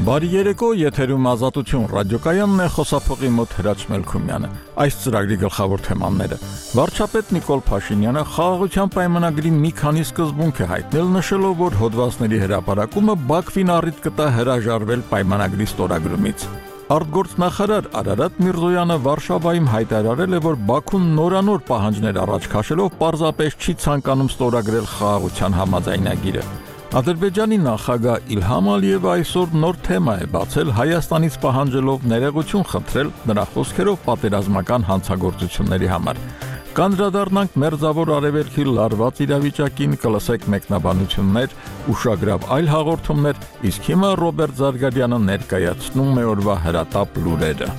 Բարի երեկո, եթերում Ազատություն ռադիոկայանն է, խոսափողի մոտ Հրաչ Մելքումյանը։ Այս ծրագրի գլխավոր թեմաները. Վարչապետ Նիկոլ Փաշինյանը խաղաղության պայմանագրի մի քանի սկզբունք է հայտնել, նշելով, որ հոդվածների հրապարակումը Բաքվին առիթ կտա հրաժարվել պայմանագրի ստորագրումից։ Արտգործնախարար Արարատ Միրզոյանը Վարշավայում հայտարարել է, որ Բաքուն նորանոր պահանջներ առաջ քաշելով պարզապես չի ցանկանում ստորագրել խաղաղության համաձայնագիրը։ Ադրբեջանի նախագահ Իլհամ Ալիևը այսօր նոր թեմա է բացել, Հայաստանից պահանջելով ներողություն խնդրել նրա խոսքերով պատերազմական հանցագործությունների համար։ Կանդրադառնանք Մերձավոր Արևելքի լարված իրավիճակին, կլսեք մեկնաբանություններ, ուշագրավ այլ հաղորդումներ, իսկ հիմա Ռոբերտ Զարգարյանը ներկայացնում է օրվա հրատապ լուրերը։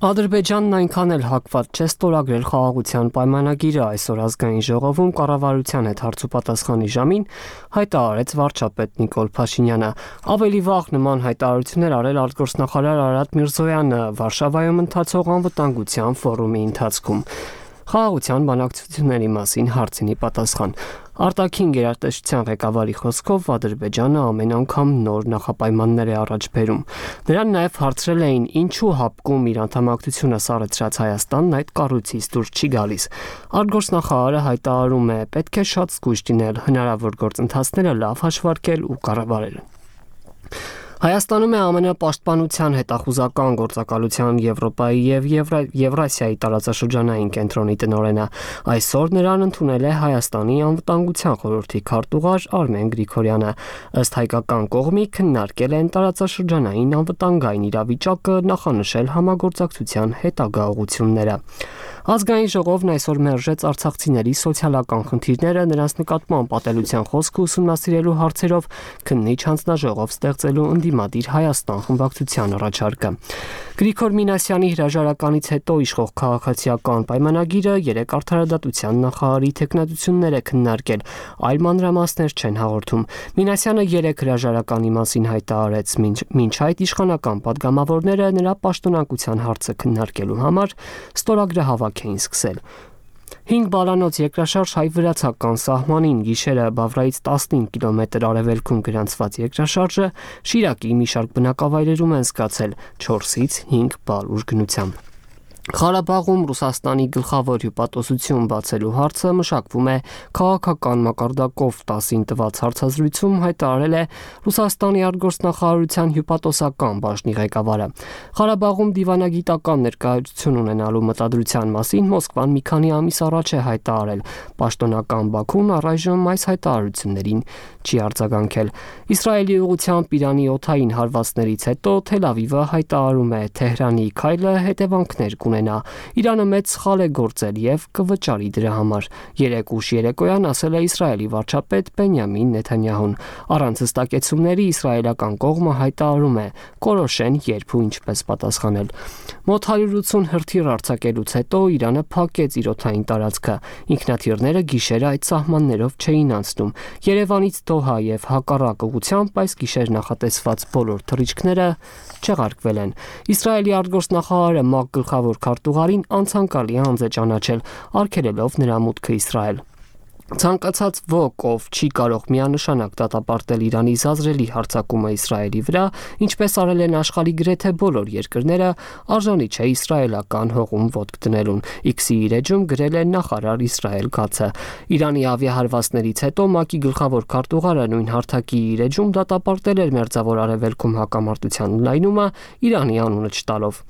Ադրբեջանն այնքան էլ հակված չէ ստորագրել խաղաղության պայմանագիրը, այսօր ազգային ժողովում կառավարության հետ հարցուպատասխանի ժամին հայտարարեց վարչապետ Նիկոլ Փաշինյանը։ Ավելի վաղ նման հայտարարություններ արել արտգործնախարար Արարատ Միրզոյանը Վարշավայում ընթացող անվտանգության ֆորումի ընթացքում։ Խաղաղության բանակցությունների մասին հարցինի պատասխան։ Արտաքին գերատեսչության ղեկավարի խոսքով Ադրբեջանը ամեն անգամ նոր նախապայմաններ է առաջ բերում։ Նրան նաև հարցրել էին, ինչու հապկում իր անդամակցությունը սառեցրած Հայաստանն այդ կառույցից դուրս չի գալիս։ Արտգործնախարարը հայտարարում է, պետք է շատ զգույշ լինել, հնարավոր գործընթացները լավ հաշվարկել ու կառավարել։ Հայաստանում է ԱՄՆ պաշտպանության հետախուզական գործակալության Եվրոպայի եւ Եվրասիայի տարածաշրջանային կենտրոնի տնօրենը։ Այսօր նրան ընդունել է Հայաստանի անվտանգության խորհրդի քարտուղար Արմեն Գրիգորյանը։ Ըստ հայկական կողմի քննարկել են տարածաշրջանային անվտանգային իրավիճակը, նախանշել համագործակցության հետագա ուղղությունները։ Ազգային ժողովն այսօր մերժեց արցախցիների սոցիալական խնդիրները, նրանց նկատմամբ ատելության խոսքը ուսումնասիրելու հարցերով քննիչ հանձնաժողով ստեղծելու ընդդիմադիր Հայաստան խմբակցության առաջարկը։ Գրիգոր Մինասյանի հրաժարականից հետո իշխող քաղաքացիական պայմանագիրը երեք արդարադատության նախարարի թեկնածություններ է քննարկել, այլ մանրամասներ չեն հաղորդում։ Մինասյանը երեք հրաժարականի մասին հայտարարեց, մինչ այդ իշխանական պատգամավորները նրա պաշտոնակության հարցը քննարկելու համար ստորագրը հավաք էին սկսել։ 5 բալանոց երկրաշարժ հայ-վրացական սահմանին գիշերը Բավրայից 15 կիլոմետր արևելքում գրանցված երկրաշարժը Շիրակի մի շարք բնակավայրերում են զգացել 4-ից 5 բալ ուժգնությամբ։ Ղարաբաղում Ռուսաստանի գլխավոր հյուպատոսություն բացելու հարցը մշակվում է քաղաքական մակարդակով 10-ին տված հարցազրույցում հայտարարել է Ռուսաստանի արտգործնախարարության հյուպատոսական բաժնի ղեկավարը։ Ղարաբաղում դիվանագիտական ներկայացություն ունենալու մտադրության մասին Մոսկվան մի քանի ամիս առաջ է հայտարարել։ Պաշտոնական Բաքուն առայժմ այս հայտարարություններին չի արձագանքել։ Իսրայելի ուղղությամբ Իրանի օդային հարվածներից հետո Թել Ավիվը հայտարարում է Թեհրանի քայլը հետևանքներ կունենա։ Իրանը մեծ սխալ է գործել եւ կվճարի դրա համար, երեկ ուշ երեկոյան ասել է Իսրայելի վարչապետ Բենյամին Նեթանյահուն։ Առանց հստակեցումների իսրայելական կողմը հայտարարում է կորոշեն երբ ու ինչպես պատասխանել։ Մոտ 180 հրթիռ արձակելուց հետո Իրանը փակեց իր օդային տարածքը։ Ինքնաթիռները գիշերը այդ սահմաններով չէին անցնում։ Երևանից Դոհա եւ հակառակ ուղղությամբ այս գիշեր նախատեսված բոլոր թռիչքները չեղարկվել են։ Իսրայելի արտգործնախարարը ՄԱԿ գլխավոր քարտուղարին անցանկալի անձ է ճանաչել, արգելելով նրա մուտքը Իսրայել։ Ցանկացած ոք, ով չի կարող միանշանակ դատապարտել Իրանի զազրելի հարձակումը Իսրայելի վրա, ինչպես արել են աշխարհի գրեթե բոլոր երկրները, արժանի չէ իսրայելական հողում ոտք դնելուն։ X-ի իր էջում գրել է նախարար Իսրայել Քացը։ Իրանի ավիահարվածներից հետո ՄԱԿ-ի գլխավոր քարտուղարը նույն հարթակի իր էջում դատապարտել էր Մերձավոր Արևելքում հակամարտության ընդլայնումը Իրանի անունը չտալով։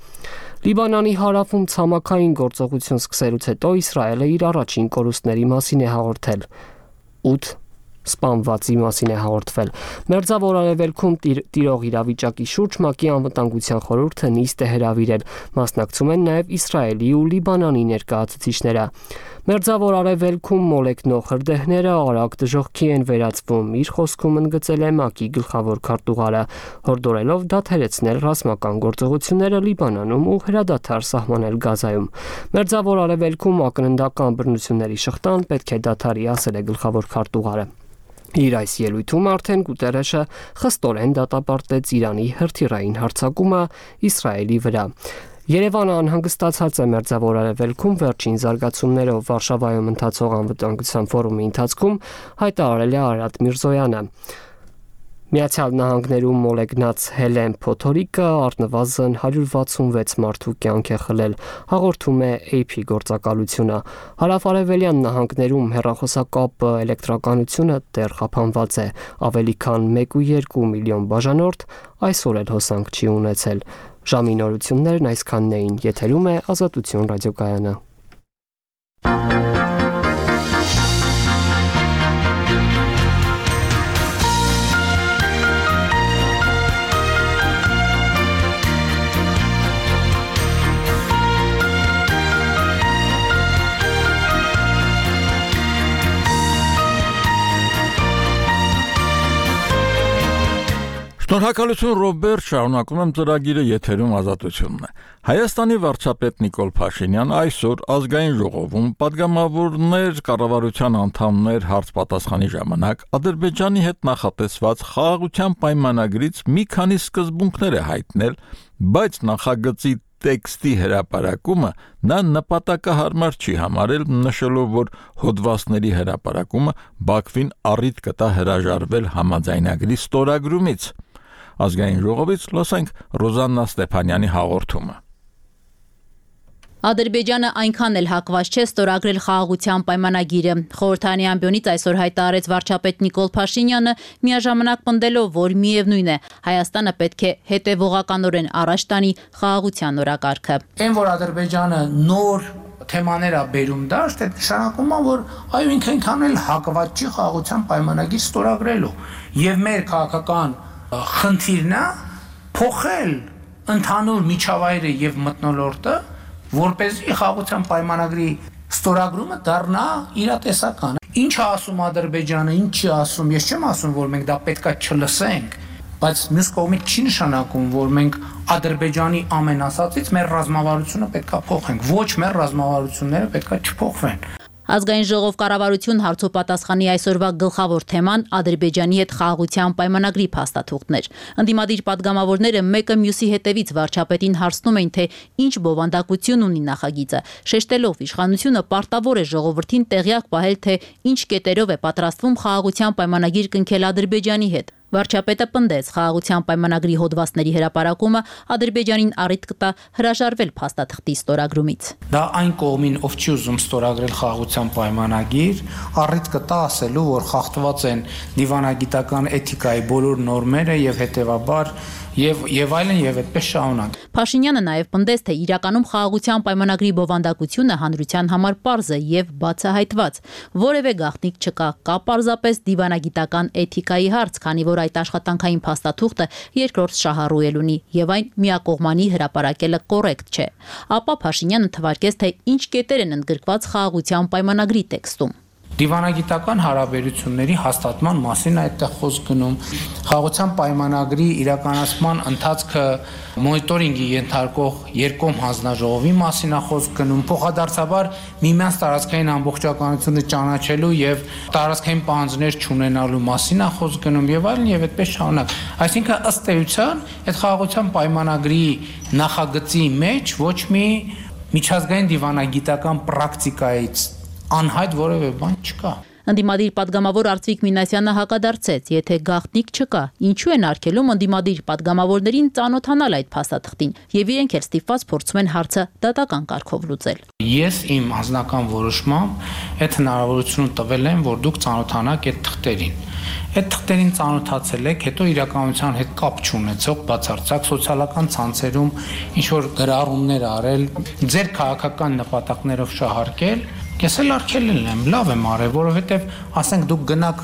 Լիբանանի հարավում ցամաքային գործողություն սկսելուց հետո Իսրայելը իր առաջին կորուստների մասին է հաղորդել։ 8 սպանվածի մասին է հաղորդվել։ Մերձավոր Արևելքում տիրող իրավիճակի շուրջ ՄԱԿ-ի անվտանգության խորհուրդը նիստ է հրավիրել։ Մասնակցում են նաև Իսրայելի ու Լիբանանի ներկայացուցիչները։ Մերձավոր Արևելքում մոլեկնող հրդեհները արագ դժոխքի են վերածվում, իր խոսքում ընդգծել է ՄԱԿ-ի գլխավոր քարտուղարը, հորդորելով դադարեցնել ռազմական գործողությունները Լիբանանում ու հրադադար սահմանել Գազայում։ Մերձավոր Արևելքում ակննդական բռնությունների շղթան պետք է դադարի, ասել է գլխավոր քարտուղարը։ Իր այս ելույթում արդեն Գուտերեշը խստորեն դատապարտեց Իրանի հրթիռային հարձակումը Իսրայելի վրա։ Երևանը անհանգստացած է Մերձավոր Արևելքում վերջին զարգացումներով Վարշավայում ընթացող անվտանգության ֆորումի ընթացքում հայտարարել է Արարատ Միրզոյանը։ Միացյալ Նահանգներում մոլեգնած Հելեն Փոթորիկը առնվազն 166 մարդու կյանք է խլել, հաղորդում է AP գործակալությունը։ Հարավարևելյան նահանգներում հեռախոսակապ էլեկտրականությունը դեռ խափանված է, ավելի քան 1.2 միլիոն բաժանորդ այսօր էլ հոսանք չի ունեցել։ Ժամի նորություններն այսքանն էին, եթերում է Ազատություն ռադիոկայանը։ Շնորհակալություն Ռոբերտ, շարունակում եմ ծրագիրը, եթերում Ազատությունն է։ Հայաստանի վարչապետ Նիկոլ Փաշինյան այսօր ազգային ժողովում պատգամավորներ, կառավարության անդամներ հարց-պատասխանի ժամանակ Ադրբեջանի հետ նախատեսված խաղաղության պայմանագրից մի քանի սկզբունքներ է հայտնել, բայց նախագծի տեքստի հրապարակումը նա նպատակահարմար չի համարել, նշելով, որ հոդվածների հրապարակումը Բաքվին առիթ կտա հրաժարվել համաձայնագրի ստորագրումից։ Ազգային ժողովից լսենք Ռոզաննա Ստեփանյանի հաղորդումը։ Ադրբեջանը այնքան էլ հակված չէ ստորագրել խաղաղության պայմանագիրը։ Խորհրդարանի ամբիոնից այսօր հայտարարեց վարչապետ Նիկոլ Փաշինյանը, միաժամանակ պնդելով, որ միևնույն է, Հայաստանը պետք է հետևողականորեն առաջ տանի խաղաղության օրակարգը։ Այն որ Ադրբեջանը նոր թեմաներ է բերում դաշտ, այդ նշանակում է, որ այո, ինքը այնքան էլ հակված չի խաղաղության պայմանագիր ստորագրելու։ Եվ մեր քաղաքական խնդիրն է փոխել ընդհանուր միջավայրը եւ մթնոլորտը, որպեսզի խաղաղության պայմանագրի ստորագրումը դառնա իրատեսական։ Ինչ է ասում Ադրբեջանը, ինչ չի ասում, ես չեմ ասում, որ մենք դա պետքա չլսենք, բայց մյուս կողմից չի նշանակում, որ մենք Ադրբեջանի ամեն ասածից մեր ռազմավարությունը պետքա փոխենք։ Ոչ, մեր ռազմավարությունները պետքա չփոխվեն։ Ազգային ժողով կառավարություն հարցոպատասխանի այսօրվա գլխավոր թեման Ադրբեջանի հետ խաղաղության պայմանագրի փաստաթուղթներ։ Ընդդիմադիր падգամավորները մեկը մյուսի հետևից վարչապետին հարցնում էին, թե ինչ բովանդակություն ունի նախագիծը, շեշտելով իշխանությունը պարտավոր է ժողովրդին տեղյակ պահել, թե ինչ կետերով է պատրաստվում խաղաղության պայմանագիր կնքել Ադրբեջանի հետ։ Վարչապետը պնդեց խաղաղության պայմանագրի հոդվածների հրապարակումը Ադրբեջանին առիթ կտա հրաժարվել փաստաթղթի ստորագրումից։ Դա այն կողմին, ով չի ուզում ստորագրել խաղաղության պայմանագիր, առիթ կտա ասելու, որ խախտված են դիվանագիտական էթիկայի բոլոր նորմերը եւ հետեւաբար եւ այլն եւ այդպես շարունակ։ Փաշինյանը նաեւ պնդեց, թե իրականում խաղաղության պայմանագրի բովանդակությունը հանրության համար պարզ է եւ բացահայտված։ Որևէ գաղտնիք չկա, կա պարզապես դիվանագիտական էթիկայի հարց, քանի որ այդ աշխատանքային փաստաթուղթը երկրորդ շահառու ունի եւ այն միակողմանի հրապարակելը կոռեկտ չէ։ Ապա Փաշինյանը թվարկեց, թե ինչ կետեր են ընդգրկված խաղաղության պայմանագրի տեքստում։ Դիվանագիտական հարաբերությունների հաստատման մասին այդտեղ խոսք գնում, խաղաղության պայմանագրի իրականացման ընթացքը մոնիտորինգի ենթարկող երկկողմ հանձնաժողովի մասին է խոսք գնում, փոխադարձաբար միմյանց տարածքային ամբողջականությունը ճանաչելու եւ տարածքային պահանջներ չունենալու մասին է խոսք գնում եւ այլն եւ այդպես շարունակ։ Այսինքն ըստ էության այդ խաղաղության պայմանագրի նախագծի մեջ ոչ մի միջազգային դիվանագիտական պրակտիկայից անհայտ որևէ բան չկա։ Ընդդիմադիր падգամավոր Արծվիկ Մինասյանը հակադարձեց, եթե գաղտնիք չկա, ինչու են արգելում ընդդիմադիր падգամավորներին ծանոթանալ այդ փաստաթղթին, եւ իրենք էլ ստիպված փորձում են հարցը դատական կարգով լուծել։ Ես իմ անձնական որոշմամբ այդ հնարավորությունը տվել եմ, որ դուք ծանոթանաք այդ թղթերին։ Այդ թղթերին ծանոթացել եք, հետո իրականության հետ կապ չունեցող բացարձակ սոցիալական ցանցերում ինչ որ գրառումներ արել, ձեր քաղաքական նպատակներով շահարկել, ես էլ արգելել եմ, լավ եմ արել, որովհետև ասենք դուք գնաք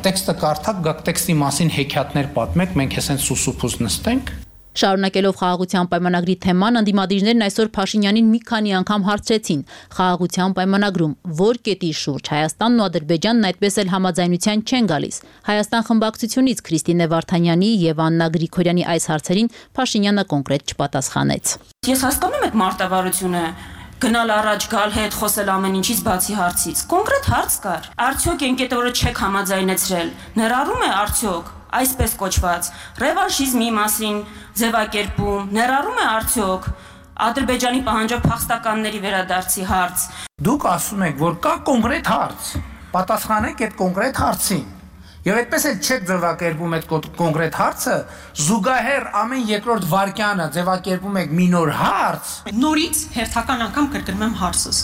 տեքստը կարդաք, գաք տեքստի մասին հեքիաթներ պատմեք, մենք հեսեն սուսուփուս նստենք։ Շարունակելով խաղաղության պայմանագրի թեման, ընդդիմադիրներն այսօր Փաշինյանին մի քանի անգամ հարցրեցին խաղաղության պայմանագրում որ կետի շուրջ Հայաստանն ու Ադրբեջանն այդպես էլ համաձայնության չեն գալիս։ Հայաստան խմբակցությունից Քրիստինե Վարդանյանի եւ Աննա Գրիգորյանի այս հարցերին Փաշինյանը կոնկրետ չպատասխանեց։ Ես հասկանում եմ մարտավարությունը գնալ առաջ գալ հետ խոսել ամեն ինչից բացի հարցից։ Կոնկրետ հարց կար։ Արդյոք այն կետը, որը չեք համաձայնեցրել, ներառում է արդյոք այսպես կոչված ռևանշիզմի մասին ձևակերպում, ներառում է արդյոք Ադրբեջանի պահանջափախստականների վերադարձի հարց։ Դուք ասում եք, որ կա կոնկրետ հարց, պատասխանեք այդ կոնկրետ հարցին։ Եվ այդպես էլ չեք ձևակերպում այդ կոնկրետ հարցը, զուգահեռ ամեն երկրորդ վայրկյանը ձևակերպում եք մի նոր հարց։ Նորից հերթական անգամ կրկնում եմ հարցս,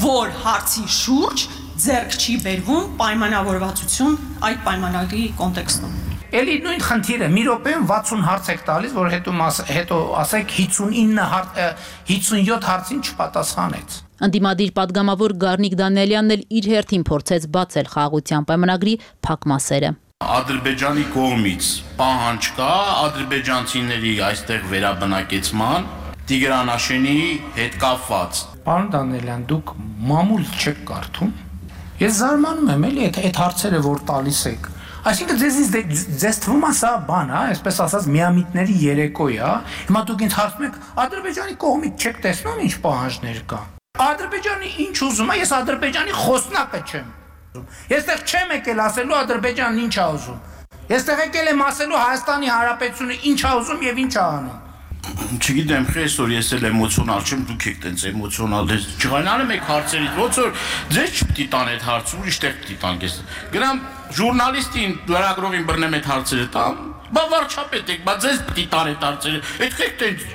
որ հարցի շուրջ ձեռք չի բերվում պայմանավորվածություն այդ պայմանագրի կոնտեքստում։ Էլի նույն խնդիրը մի րոպեում 60 հարց եք տալիս, որ հետո ասեք 57 հարցին չպատասխանեց։ Ընդդիմադիր падգամավոր Գառնիկ Դանիելյանն էլ իր հերթին փորձեց բացել խաղաղության պայմանագրի փակ մասերը։ Ադրբեջանի կողմից պահանջ կա ադրբեջանցիների այստեղ վերաբնակեցման Տիգրանաշենի հետ կապված։ Պարոն Դանիելյան, դուք մամուլ չեք կարդում։ Ես զարմանում եմ, էլի այդ հարցերը որ տալիս եք։ Այսինքն ձեզ թվում է սա բան, այսպես ասած միամիտների երեկո է, հիմա դուք ինձ հարցնում եք Ադրբեջանի կողմից չեք տեսնում ինչ պահանջներ կա։ Ադրբեջանի ինչ ուզում է, ես Ադրբեջանի խոսնակը չեմ։ Ես տեղ չեմ եկել ասելու Ադրբեջանն ինչ է ուզում։ Ես տեղ եկել եմ ասելու Հայաստանի Հանրապետությունը ինչ է ուզում եւ ինչ է անում։ Չգիտեմ, խեսոր ես էլ էմոցիոնալ չեմ, դուք եք տենց էմոցիոնալ չղանալու եք հարցերից, ոնց որ ձեզ չպիտի տան այդ հարցը, ուրիշ տեղ պիտի տան քեզ։ Գնամ ժուրնալիստին, լրագրողին բռնեմ այդ հարցերը տամ, բա վարչապետ եք, բա ձեզ պիտի տան այդ հարցերը, այդ եք տենց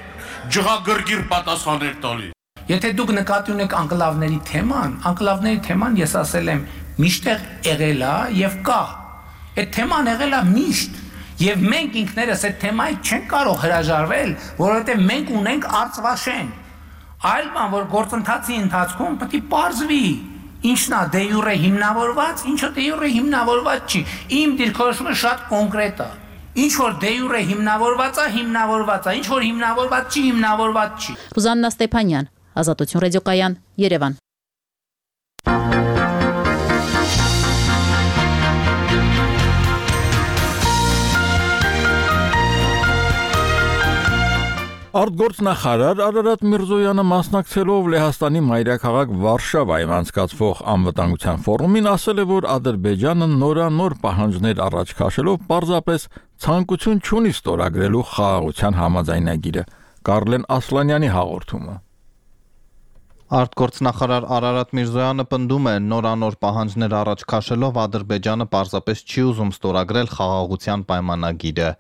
ջղագրգիռ պատասխաններ տալի։ Եթե դուք նկատի ունեք անկլավների թեման ես ասել եմ միշտ եղել է եւ կա։ Այդ թեման եղել է միշտ եւ մենք ինքներս այդ թեմայից չենք կարող հրաժարվել, որովհետեւ մենք ունենք Արցվաշեն։ Այլ բան, որ գործընթացի ընթացքում պետք է պարզվի ինչն է դե յուրե հիմնավորված, ինչը դե յուրե հիմնավորված չի։ Իմ դիրքորոշումը շատ կոնկրետ է։ Ինչ որ դե յուրե հիմնավորված է, ինչ որ հիմնավորված չի։ Ռուզաննա Ստեփանյան, Ազատություն ռադիոկայան, Երևան։ Արտգործնախարար Արարատ Միրզոյանը մասնակցելով Լեհաստանի մայրաքաղաք Վարշավայում անցկացվող անվտանգության ֆորումին ասել է, որ Ադրբեջանը նորանոր պահանջներ առաջ քաշելով պարզապես ցանկություն չունի ստորագրելու խաղաղության համաձայնագիրը։ Կարլեն Ասլանյանի հաղորդումը։ Արտգործնախարար Արարատ Միրզոյանը պնդում է նորանոր պահանջներ առաջ քաշելով Ադրբեջանը պարզապես չի ուզում ստորագրել խաղաղության պայմանագիրը։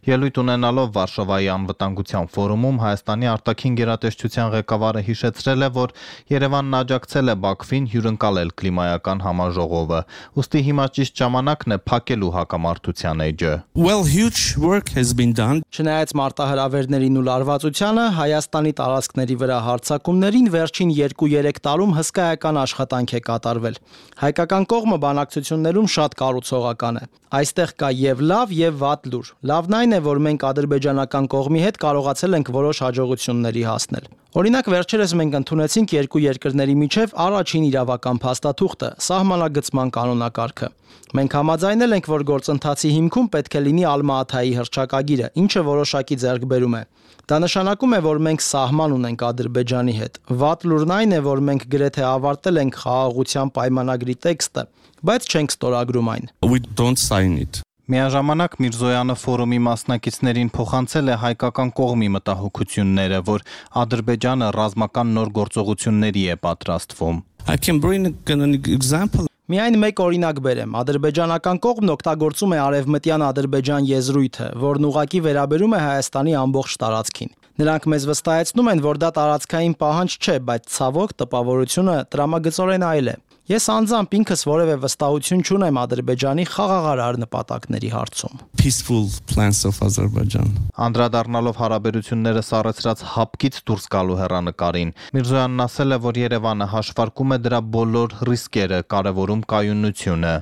Ելույթ ունենալով Վարշավայի անվտանգության ֆորումում Հայաստանի արտաքին գերատեսչության ղեկավարը հիշեցրել է, որ Երևանն աջակցել է Բաքվին հյուրընկալել կլիմայական համաժողովը։ Ուստի հիմա ճիշտ ժամանակն է փակելու հակամարտության էջը։ Չնայած մարտահրավերներին ու լարվածությանը Հայաստանի տարածքների վրա հարձակումներին վերջին 2-3 տարում հսկայական աշխատանք է կատարվել։ Հայկական կողմը բանակցություններում շատ կառուցողական է։ Այստեղ կա եւ լավ եւ վատ լուր։ Լավն այն է, որ մենք ադրբեջանական կողմի հետ կարողացել ենք որոշ հաջողությունների հասնել։ Օրինակ վերջերս մենք ընդունեցինք երկու երկրների միջև առաջին իրավական փաստաթուղթը՝ սահմանագծման կանոնակարգը։ Մենք համաձայնել ենք, որ գործընթացի հիմքում պետք է լինի Ալմա-Աթայի հռչակագիրը, ինչը որոշակի ձեռքբերում է։ Դա նշանակում է, որ մենք սահման ունենք Ադրբեջանի հետ։ Վատ լուրն այն է, որ մենք գրեթե ավարտել ենք խաղաղության պայմանագրի տեքստը, բայց չենք ստորագրում այն։ Միաժամանակ Միրզոյանը ֆորումի մասնակիցներին փոխանցել է հայկական կողմի մտահոգությունները, որ Ադրբեջանը ռազմական նոր գործողությունների է պատրաստվում։ Միայն մեկ օրինակ բերեմ. ադրբեջանական կողմն օգտագործում է արևմտյան Ադրբեջան եզրույթը, որն ուղղակի վերաբերում է Հայաստանի ամբողջ տարածքին։ Նրանք մեզ վստահեցնում են, որ դա տարածքային պահանջ չէ, բայց ցավոք տպավորությունը տրամագծորեն այլ է։ Ես անձամբ ինքս որևէ վստահություն չունեմ Ադրբեջանի խաղաղարար նպատակների հարցում։ Անդրադառնալով հարաբերությունները սառեցրած հապկից դուրս գալու հեռանկարին, Միրզոյանն ասել է, որ Երևանը հաշվարկում է դրա բոլոր ռիսկերը, կարևորում կայունությունը։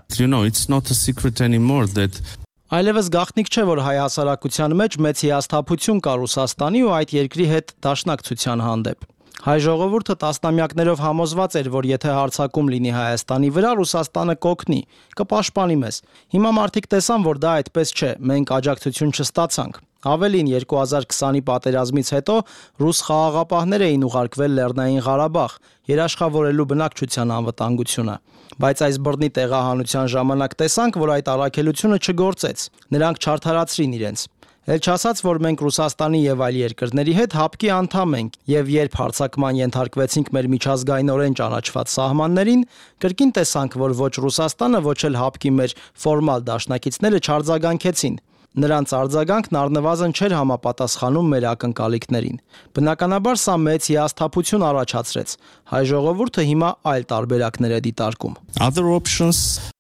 Այլևս գաղտնիք չէ, որ հայ հասարակության մեջ մեծ հիասթափություն կա Ռուսաստանի ու այդ երկրի հետ դաշնակցության հանդեպ։ Հայ ժողովուրդը տասնամյակներով համոզված էր, որ եթե հարձակում լինի Հայաստանի վրա, Ռուսաստանը կօգնի, կպաշտպանի մեզ։ Հիմա մարդիկ տեսան, որ դա այդպես չէ, մենք աջակցություն չստացանք։ Ավելին 2020-ի պատերազմից հետո ռուս խաղաղապահներ էին ուղարկվել Լեռնային Ղարաբաղ, երաշխավորելու բնակչության անվտանգությունը։ Բայց այս բռնի տեղահանության ժամանակ տեսանք, որ այդ առաքելությունը չգործեց։ Նրանք չարդարացրին իրենց։ Էլ չասած, որ մենք Ռուսաստանի եւ այլ երկրների հետ հապկի անդամ ենք, եւ երբ հարձակման ենթարկվեցինք մեր միջազգայինորեն ճանաչված սահմաններին, կրկին տեսանք, որ ոչ Ռուսաստանը, ոչ էլ հապկի մեր ֆորմալ դաշնակիցները չարձագանքեցին։ Նրանց արձագանքն առնվազն չէր համապատասխանում մեր ակնկալիքներին։ Բնականաբար սա մեծ հիասթափություն առաջացրեց։ Հայ ժողովուրդը հիմա այլ տարբերակներ է դիտարկում։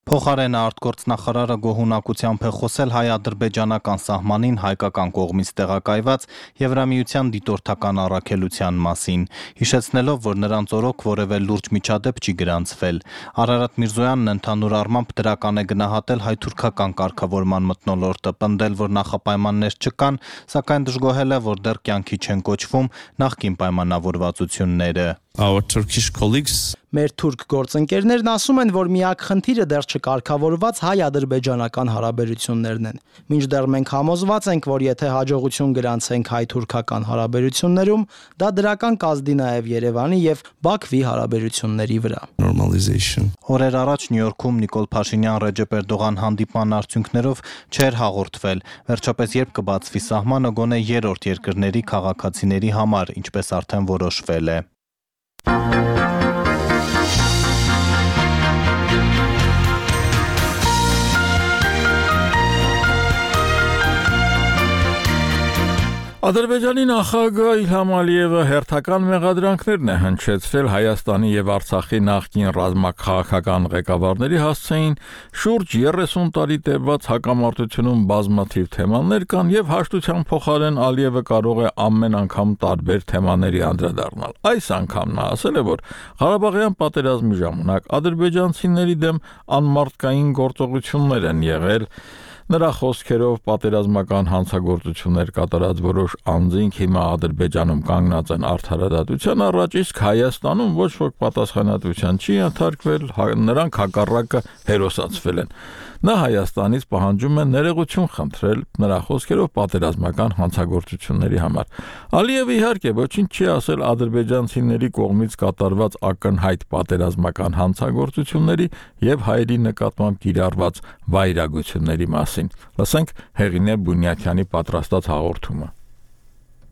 Փոխարենը արտգործնախարարը գոհունակությամբ է խոսել հայ-ադրբեջանական սահմանին հայկական կողմից տեղակայված Եվրամիության դիտորդական առաքելության մասին, հիշեցնելով, որ նրանց օրոք որևէ լուրջ միջադեպ չի գրանցվել։ Արարատ Միրզոյանն ընդհանուր առմամբ դրական է գնահատել հայ-թուրքական կարգավորման մթնոլորտը, պնդել, որ նախապայմաններ չկան, սակայն դժգոհել է, որ դեռ կյանքի չեն կոչվում նախկին պայմանավորվածությունները։ Մեր թուրք գործընկերներն ասում են, որ միակ խնդիրը դեռ չկարգավորված հայ-ադրբեջանական հարաբերություններն են։ Մինչդեռ մենք համոզված ենք, որ եթե հաջողություն գրանցենք հայ-թուրքական հարաբերություններում, դա դրական կազդի նաև Երևանի եւ Բաքվի հարաբերությունների վրա։ Օրեր առաջ Նյու Յորքում Նիկոլ Փաշինյան-Ռեջեփ Էրդողան հանդիպման արդյունքներով չէր հաղորդվել։ Վերջապես երբ կբացվի սահմանը, գոնե երրորդ երկրների քաղաքացիների համար, ինչպես արդեն որոշվել է։ Ադրբեջանի նախագահ Իլհամ Ալիևը հերթական մեղադրանքներն է հնչեցրել Հայաստանի եւ Արցախի նախկին ռազմաքաղաքական ղեկավարների հասցեին շուրջ 30 տարի տևած հակամարտությունում բազմաթիվ թեմաներ կան եւ հաշտության փոխարեն Ալիևը կարող է ամեն անգամ տարբեր թեմաների անդրադառնալ։ Այս անգամ նա ասել է, որ Ղարաբաղյան պատերազմի ժամանակ ադրբեջանցիների դեմ անմարտկային գործողություններ են եղել։ Նրա խոսքերով պատերազմական հանցագործություններ կատարած որոշ անձինք հիմա Ադրբեջանում կանգնած են արդարադատության առաջ, իսկ Հայաստանում ոչ ոք պատասխանատվության չի ենթարկվել, նրանք հակառակը հերոսացվել են։ Նա Հայաստանից պահանջում է ներողություն խնդրել նրա խոսքերով պատերազմական հանցագործությունների համար։ Ալիևը իհարկե ոչինչ չի ասել ադրբեջանցիների կողմից կատարված ակնհայտ պատերազմական հանցագործությունների եւ հայերի նկատմամբ կիրառված վայրագությունների մասին։ Լսենք Հեղինե Բունյաթյանի պատրաստած հաղորդումը։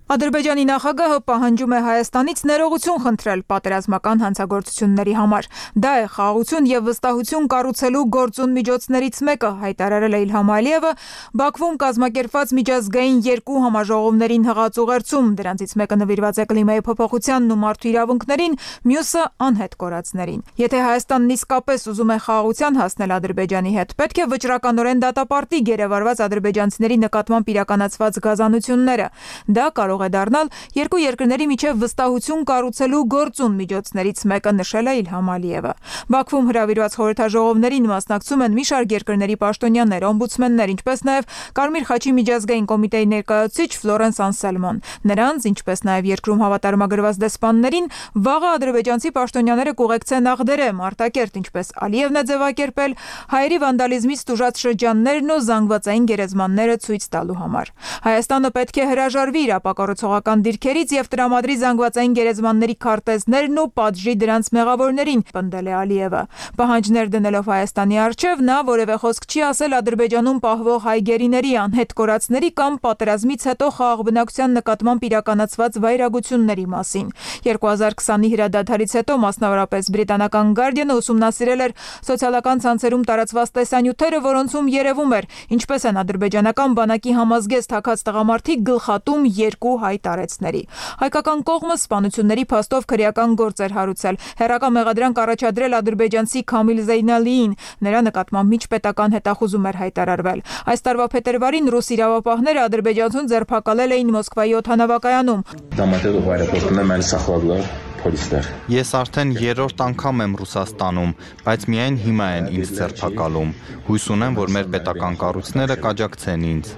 Ադրբեջանի նախագահը պահանջում է Հայաստանից ներողություն խնդրել պատերազմական հանցագործությունների համար։ Դա է խաղաղություն եւ վստահություն կառուցելու գործուն միջոցներից մեկը, հայտարարել է Իլհամ Ալիևը Բաքվում կազմակերպված միջազգային երկու համաժողովներին հղած ուղերձում, դրանցից մեկը նվիրված է կլիմայի փոփոխությանն ու մարդու իրավունքներին, մյուսը անհետ կորածներին։ Եթե Հայաստանն իսկապես ուզում է խաղաղության հասնել Ադրբեջանի հետ, պետք է վճռականորեն դատապարտի գերեվարված ադրբեջանցիների նկատմամբ իրականացված գազանությունները։ Դա կարող է դառնալ երկու երկրների միջև վստահություն կառուցելու գործուն միջոցներից մեկը, նշել է Իլհամ Ալիևը։ Բաքվում հրավիրված խորհրդաժողովներին մասնակցում են մի շարք երկրների պաշտոնյաներ, օմբուդսմեններ, ինչպես նաև Կարմիր խաչի միջազգային կոմիտեի ներկայացուցիչ Ֆլորենս Անսելմոն։ Նրանց, ինչպես նաև երկրում հավատարմագրված դեսպաններին, վաղը ադրբեջանցի պաշտոնյաները կուղեկցեն Աղդերեմ, Արտակերտ, ինչպես Ալիևն է ձևակերպել, հայերի վանդալիզմից տուժած շրջաններն ու զանգվածային գերեզմանները ցույց տալու համար։ Հայաստանը պետք է հրաժարվի իր կառուցողական դիրքերից եւ տրամադրի զանգվածային գերեզմանների քարտեզներն ու պատժի դրանց մեղավորներին, պնդել է Ալիևը։ Պահանջներ դնելով Հայաստանի առջև նա որևէ խոսք չի ասել Ադրբեջանում պահվող հայ գերիների, անհետ կորածների կամ պատերազմից հետո խաղաղ բնակության նկատմամբ իրականացված վայրագությունների մասին։ 2020-ի հրադադարից հետո մասնավորապես բրիտանական Guardian-ը ուսումնասիրել էր սոցիալական ցանցերում տարածված տեսանյութերը, որոնցում երևում էր, ինչպես են ադրբեջանական բանակի համազգեստ հագած տղամարդիկ գլխատում երկու հայ տարեցների։ Հայկական կողմը սպանությունների փաստով քրեական գործ էր հարուցել, հերակա մեղադրանք առաջադրել ադրբեջանցի Քամիլ Զեյնալիին, նրա նկատմամբ միջպետական հետախուզում էր հայտարարվել։ Այս տարվա փետրվարին ռուս իրավապահները ադրբեջանցուն ձերբակալել էին Մոսկվայի օդանավակայանում։ Ես արդեն երրորդ անգամ եմ Ռուսաստանում, բայց միայն հիմա են ինձ ձերբակալում։ Հույս ունեմ, որ մեր պետական կառույցները կաջակցեն ինձ։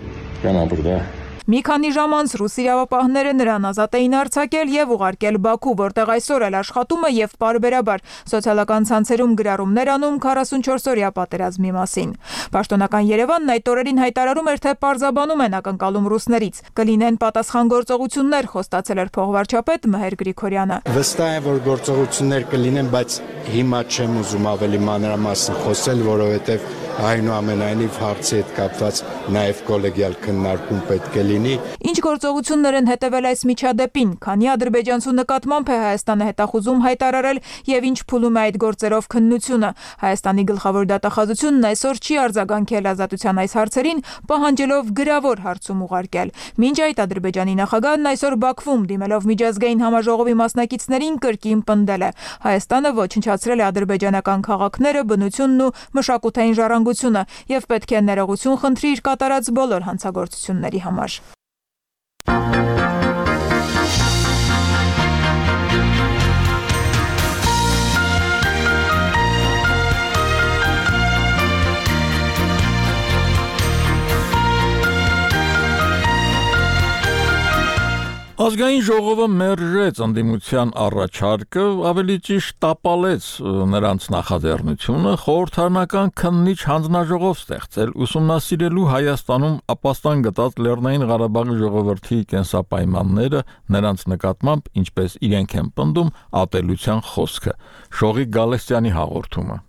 Մի քանի ժամ անց ռուս իրավապահները նրան ազատ էին արձակել եւ ուղարկել Բաքու, որտեղ այսօր էլ աշխատում է եւ պարբերաբար սոցիալական ցանցերում գրառումներ անում 44-օրյա պատերազմի մասին։ Պաշտոնական Երևանն այդ օրերին հայտարարում էր, թե պարզաբանում են ակնկալում ռուսներից։ Կլինեն պատասխան գործողություններ, խոստացել էր փոխվարչապետ Մհեր Գրիգորյանը։ Վստահ եմ, որ գործողություններ կլինեն, բայց հիմա չեմ ուզում ավելի մանրամասն խոսել, որովհետեւ Այնուամենայնիվ հարցի հետ կապված նաև կոլեգիալ քննարկում պետք է լինի։ Ինչ գործողություններ են հետևել այս միջադեպին, քանի ադրբեջանցու նկատմամբ է Հայաստանը հետախուզում հայտարարել եւ ինչ փուլում է այդ գործերով քննությունը։ Հայաստանի գլխավոր դատախազությունն այսօր չի արձագանքել ազատության այս հարցերին, պահանջելով գրավոր հարցում ուղարկել։ Մինչ այդ Ադրբեջանի նախագահն այսօր Բաքվում դիմելով միջազգային համաժողովի մասնակիցներին կրկին պնդել է. Հայաստանը ոչնչացրել է ադրբեջանական քաղաքները, բնությունն ու մշակութային ժառանգությունը եւ պետք է ներողություն խնդրի իր կատարած բոլոր հանցագործությունների համար։ Ազգային ժողովը մերժեց ընդդիմության առաջարկը, ավելի ճիշտ տապալեց նրանց նախաձեռնությունը խորհրդարանական քննիչ հանձնաժողով ստեղծել ուսումնասիրելու Հայաստանում ապաստան գտած Լեռնային Ղարաբաղի ժողովրդի կենսապայմանները, նրանց նկատմամբ ինչպես իրենք են պնդում ատելության խոսքը։ Շողիկ Գալստյանի հաղորդումը։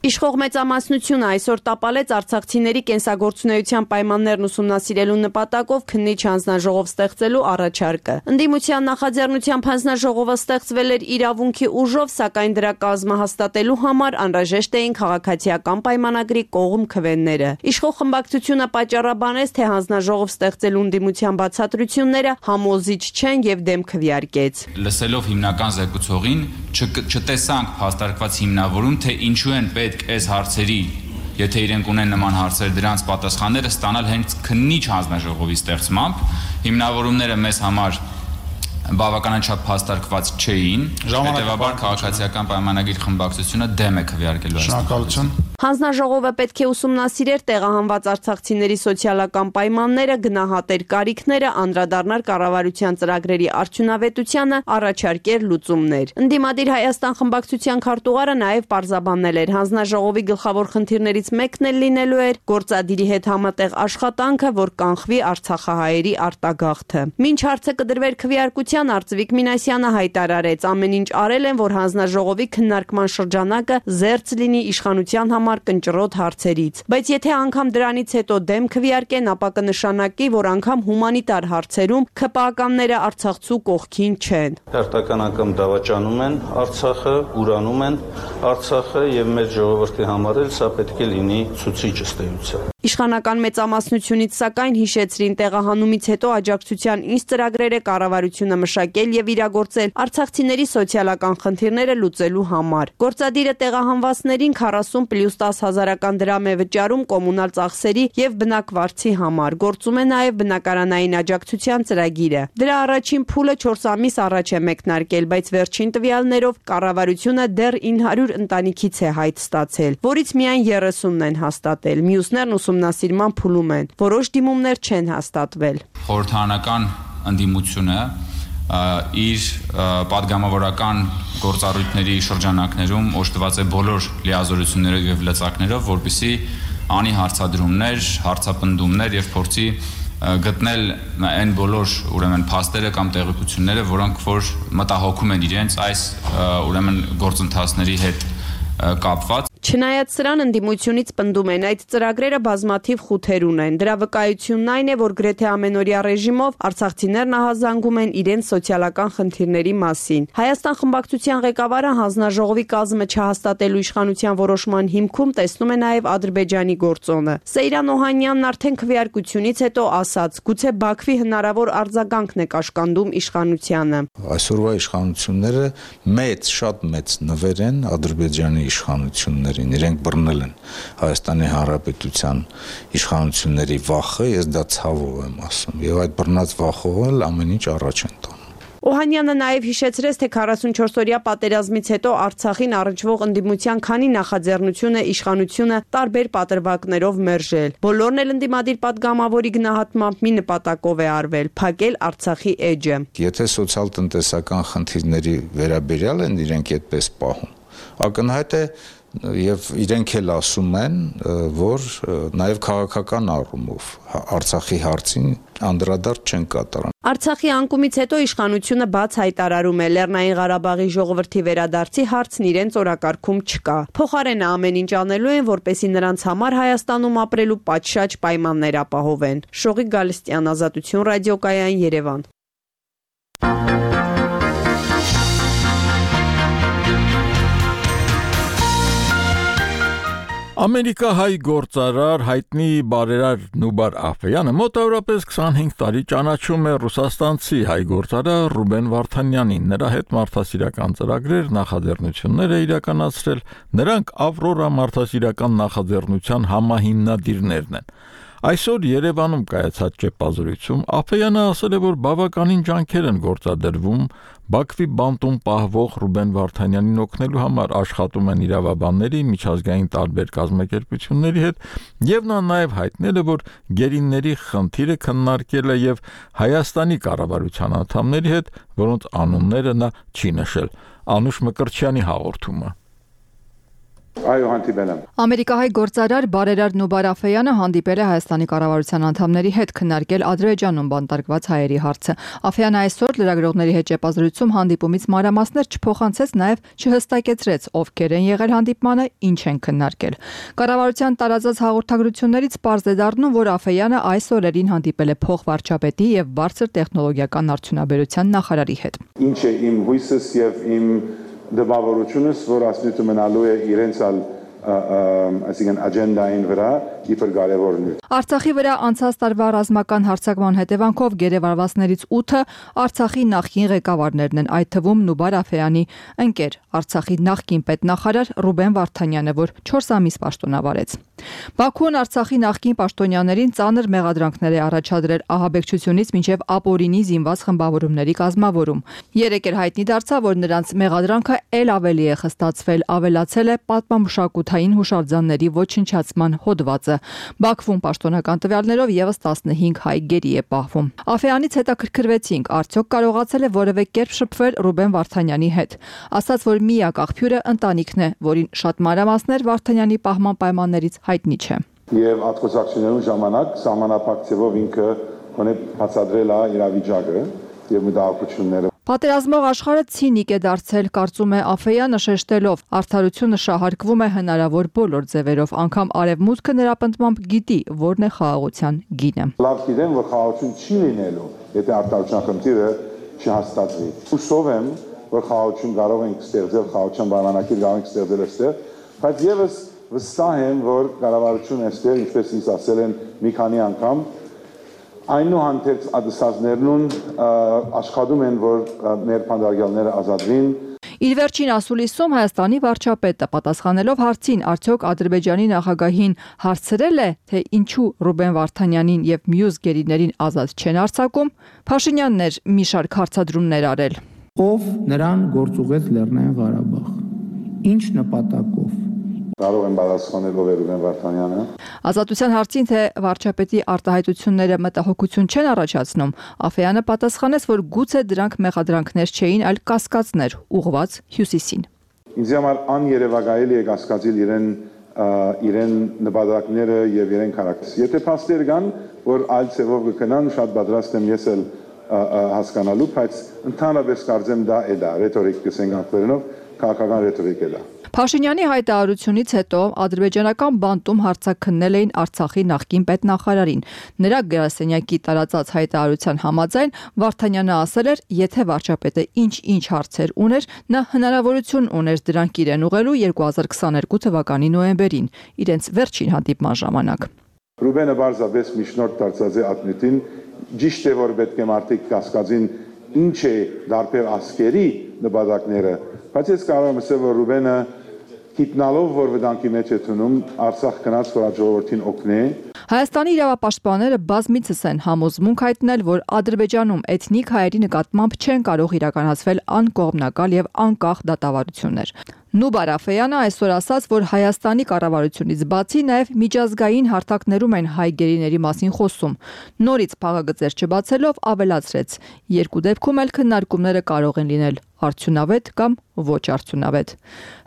Իշխող մեծամասնությունը այսօր տապալեց արցախցիների կենսագործունեության պայմաններն ուսումնասիրելու նպատակով քննիչ հանձնաժողով ստեղծելու առաջարկը։ Ընդդիմության նախաձեռնությամբ հանձնաժողովը ստեղծվել էր իրավունքի ուժով, սակայն դրա կազմը հաստատելու համար անհրաժեշտ էին քաղաքացիական պայմանագրի կողմ քվենները։ Իշխող խմբակցությունը պատճառաբանեց, թե հանձնաժողով ստեղծելու ընդդիմության բացատրությունները համոզիչ չեն եւ դեմ քվեարկեց։ Լսելով հիմնական զեկուցողին չտեսանք փաստարկված հիմնավորում, թե ինչու են պետք այս հարցերի, եթե իրենք ունեն նման հարցեր, դրանց պատասխանները ստանալ հենց քննիչ հանձնաժողովի ստեղծմամբ, հիմնավորումները մեզ համար բավականաչափ փաստարկված չէին, հետևաբար քաղաքացիական պայմանագիր խմբակցությունը դեմ է քվեարկելու այս։ Հանձնաժողովը պետք է ուսումնասիրեր տեղահանված արցախցիների սոցիալական պայմանները, գնահատեր կարիքները, անդրադառնար կառավարության ծրագրերի արդյունավետությանը, առաջարկեր լուծումներ։ Ընդդիմադիր Հայաստան խմբակցության քարտուղարը նաև պարզաբանել էր, հանձնաժողովի գլխավոր խնդիրներից մեկն էլ լինելու էր գործադիրի հետ համատեղ աշխատանքը, որ կանխվի արցախահայերի արտագաղթը։ Մինչ հարցը կդրվեր քվեարկության, Արծվիկ Մինասյանը հայտարարեց, ամեն ինչ արել են, որ հանձնաժողովի քննարկման շրջանակը զերծ լինի իշխանության համար կնճռոտ հարցերից, բայց եթե անգամ դրանից հետո դեմ քվեարկեն, ապա կնշանակի, որ անգամ հումանիտար հարցերում ՔՊԱ-կանները Արցախցու կողքին չեն։ Հերթական անգամ դավաճանում են Արցախը, ուրանում են Արցախը եւ մեր ժողովրդի համար էլ սա պետք է լինի ցուցիչ ըստ էության։ Իշխանական մեծամասնությունից սակայն հիշեցրին տեղահանումից հետո աջակցության ինչ ծրագրեր է կառավարությունը մշակել եւ իրագործել արցախցիների սոցիալական խնդիրները լուծելու համար։ Գործադիրը տեղահանվածներին 40+10 հազարական դրամ է վճարում կոմունալ ծախսերի եւ բնակվարձի համար։ Գործում է նաեւ բնակարանային աջակցության ծրագիրը։ Դրա առաջին փուլը 4 ամիս առաջ է մեկնարկել, բայց վերջին տվյալներով կառավարությունը դեռ 900 ընտանիքից է հայտ ստացել, որից միայն 30-ն են հաստատել։ Մյուսներն ուսումնասիրման փուլում են։ Որոշ դիմումներ չեն հաստատվել։ Խորհրդարանական ընդդիմությունը իր պատգամավորական գործառույթների շրջանակներում օժտված է բոլոր լիազորություններով եւ լծակներով, որպեսզի անի հարցադրումներ, հարցապնդումներ եւ փորձի գտնել այն բոլոր ուրեմն փաստերը կամ տեղեկությունները, որոնք որ մտահոգում են իրենց այս ուրեմն գործընթացների հետ կապված։ Չնայած սրան ընդդիմությունից պնդում են, այդ ծրագրերը բազմաթիվ խութեր ունեն։ Դրա վկայությունն այն է, որ գրեթե ամենօրյա ռեժիմով արցախցիներն ահազանգում են իրենց սոցիալական խնդիրների մասին։ Հայաստան խմբակցության ղեկավարը հանձնաժողովի կազմը չհաստատելու իշխանության որոշման հիմքում տեսնում է նաև Ադրբեջանի գործոնը։ Սեյրան Օհանյանն արդեն քվեարկությունից հետո ասաց, գուցե Բաքվի հնարավոր արձագանքն է կաշկանդում իշխանությանը։ Այսօրվա իշխանությունները շատ մեծ նվեր են Ադրբեջանի իշխանություններին, իրենք բռնել են Հայաստանի Հանրապետության իշխանությունների վախը, ես դա ցավով եմ ասում, եւ այդ բռնած վախով էլ ամեն ինչ առաջ են տանում։ Օհանյանը նաև հիշեցրեց, թե 44-օրյա պատերազմից հետո Արցախին առնչվող ընդդիմության քանի նախաձեռնություն է իշխանությունը տարբեր պատրվակներով մերժել։ Բոլորն էլ ընդդիմադիր պատգամավորի գնահատմամբ մի նպատակով է արվել՝ փակել Արցախի էջը։ Եթե սոցիալ-տնտեսական խնդիրների վերաբերյալ են իրենք այդպես պահում, ակնհայտ է եւ իրենք էլ ասում են, որ նաեւ քաղաքական առումով Արցախի հարցին անդրադարձ չեն կատարում։ Արցախի անկումից հետո իշխանությունը բաց հայտարարում է Լեռնային Ղարաբաղի ժողովրդի վերադարձի հարցն իրենց օրակարգում չկա։ Փոխարենը ամեն ինչ անելու են, որպեսզի նրանց համար Հայաստանում ապրելու պատշաճ պայմաններ ապահովեն։ Շողիկ Գալստյան, Ազատություն ռադիոկայան, Երևան։ Ամերիկահայ գործարար հայտնի բարերար Նուբար Աֆեյանը մոտավորապես 25 տարի ճանաչում է ռուսաստանցի հայ գործարար Ռուբեն Վարդանյանին, նրա հետ մարդասիրական ծրագրեր, նախաձեռնություններ է իրականացրել, նրանք Ավրորա մարդասիրական նախաձեռնության համահիմնադիրներն են։ Այսօր Երևանում կայացած ճեպազրույցում Աֆեյանը ասել է, որ բավականին ջանքեր են գործադրվում Բաքվի բանտում պահվող Ռուբեն Վարդանյանին օգնելու համար, աշխատում են իրավաբանների, միջազգային տարբեր կազմակերպությունների հետ, եւ նա նաեւ հայտնել է, որ գերիների խնդիրը քննարկել է եւ Հայաստանի կառավարության անդամների հետ, որոնց անունները նա չի նշել։ Անուշ Մկրտչյանի հաղորդումը։ Այո, հանդիպել եմ։ Ամերիկահայ գործարար բարերար Նուբար Աֆեյանը հանդիպել է Հայաստանի կառավարության անդամների հետ քննարկել Ադրբեջանում բանտարկված հայերի հարցը։ Աֆեյանը այսօր լրագրողների հետ ճեպազրույցում հանդիպումից մանրամասներ չփոխանցեց, նաև չհստակեցրեց ովքեր են եղել հանդիպմանը, ինչ են քննարկել։ Կառավարության տարածած հաղորդագրություններից պարզ է դառնում, որ Աֆեյանը այս օրերին հանդիպել է փոխվարչապետի եւ բարձր տեխնոլոգիական արդյունաբերության նախարարի հետ։ Ինչ է իմ հույսս եւ իմ դպավորությունս, որ ասնույթը մնալու է իրենց այսինքն աջենդային վրա իբր կարևորն է։ Արցախի վրա անցած տարվա ռազմական հարձակման հետևանքով գերեվարվածներից 8-ը Արցախի նախկին ղեկավարներն են, այդ թվում Նուբար Աֆեյանի ընկեր, Արցախի նախկին պետնախարար Ռուբեն Վարդանյանը, որ 4 ամիս պաշտոնավարեց։ Բաքուն Արցախի նախկին պաշտոնյաներին ծանր մեղադրանքներ է առաջադրել ահաբեկչությունից մինչև ապօրինի զինված խմբավորումների կազմավորում։ Երեկ էր հայտնի դարձավ, որ նրանց մեղադրանքը ել ավելի է խստացվել, ավելացել է պատմամշակութային հուշարձանների ոչնչացման հոդվածը։ Բաքվում պաշտոնական տվյալներով եւս 15 հայ գերի է պահվում։ Աֆեյանից հետաքրքրվեցինք, արդյոք կարողացել է որևէ կերպ շփվել Ռուբեն Վարդանյանի հետ։ Ասաց, որ միակ աղբյուրը ընտանիքն է, որին շատ մանրամասներ Վարդանյանի պահման պայմաններից հայտնի չէ։ Եվ ատկոսակցությունների ժամանակ սահմանափակցելով ինքը ունի բացատրել է իրավիճակը եւ մտահոգությունները։ Պատերազմող աշխարհը ցինիկ է դարձել, կարծում է Աֆեյանը, շեշտելով, արդարությունը շահարկվում է հնարավոր բոլոր ձևերով, անգամ արևմուտքը նրա պնդմամբ գիտի, որն է խաղաղության գինը։ Լավ գիտեմ, որ խաղաղություն չի լինելու, եթե արդարության խնդիրը չհաստատվի։ Հուսով եմ, որ խաղաղություն կարող ենք ստեղծել, խաղաղության պայմանագիր կարող ենք ստեղծել այստեղ, բայց եւս վստահ եմ, որ կառավարությունը այստեղ, ինչպես ինձ ասել են մի քանի անգամ, այնուհանդերձ ադսազներն աշխատում են, որ մեր փանդարգյալները ազատվին։ Իր վերջին ասուլիսում Հայաստանի վարչապետը պատասխանելով հարցին, արդյոք Ադրբեջանի նախագահին հարցրել է, թե ինչու Ռուբեն Վարդանյանին եւ մյուս գերիներին ազատ չեն արձակում, Փաշինյանն էր մի շարք հարցադրումներ արել։ Ով նրան գործուղեց Լեռնային Ղարաբաղ։ Ինչ նպատակով։ Կարող են պատասխանել ով է Ռուբեն Վարդանյանը։ Ազատության հարցին, թե վարչապետի արտահայտությունները մտահոգություն չեն առաջացնում, Աֆեյանը պատասխանեց, որ գուցե դրանք մեղադրանքներ չէին, այլ կասկածներ ուղղված Հյուսիսին։ Ինձ համար աներևակայելի է կասկածել իրեն նպատակները եւ իրեն քարակտերը։ Եթե փաստեր կան, որ այլ ցևով կգնան, շատ պատրաստ եմ ես էլ հասկանալու, բայց ընդհանրապես կարծեմ դա է դա, ռետորիկ կսենք անգլերենով, քաղաքական ռետորիկ է դա։ Փաշինյանի հայտարարությունից հետո ադրբեջանական բանտում հարցաքննել էին Արցախի նախկին պետնախարարին։ Նրա գրասենյակի տարածած հայտարարության համաձայն Վարդանյանը ասել էր, եթե վարչապետը ինչ հարցեր ուներ, նա հնարավորություն ուներ դրանք իրեն ուղղելու 2022 թվականի նոյեմբերին, իրենց վերջին հանդիպման ժամանակ։ Ռուբենը բարձրապես միջնորդ դարձած է ադմիտին, ճիշտ է, որ պետք է մարդիկ կասկածին ինչ է դարբեր ասկերի նպատակները, բայց ես կարող եմ ասել, որ Ռուբենը գիտնալով, որ վտանգի մեջ է տնում, Արցախ գնաց, որ ժողովրդին օգնի։ Հայաստանի իրավապաշտպանները բազմիցս են համոզմունք հայտնել, որ Ադրբեջանում էթնիկ հայերի նկատմամբ չեն կարող իրականացվել անկողմնակալ եւ անկախ դատավարություններ։ Նուբար Աֆեյանը այսօր ասաց, որ Հայաստանի կառավարությունից բացի նաև միջազգային հարթակներում են հայ գերիների մասին խոսում։ Նորից փաղագծեր չբացելով ավելացրեց. երկու դեպքում էլ քննարկումները կարող են լինել արդյունավետ կամ ոչ արդյունավետ։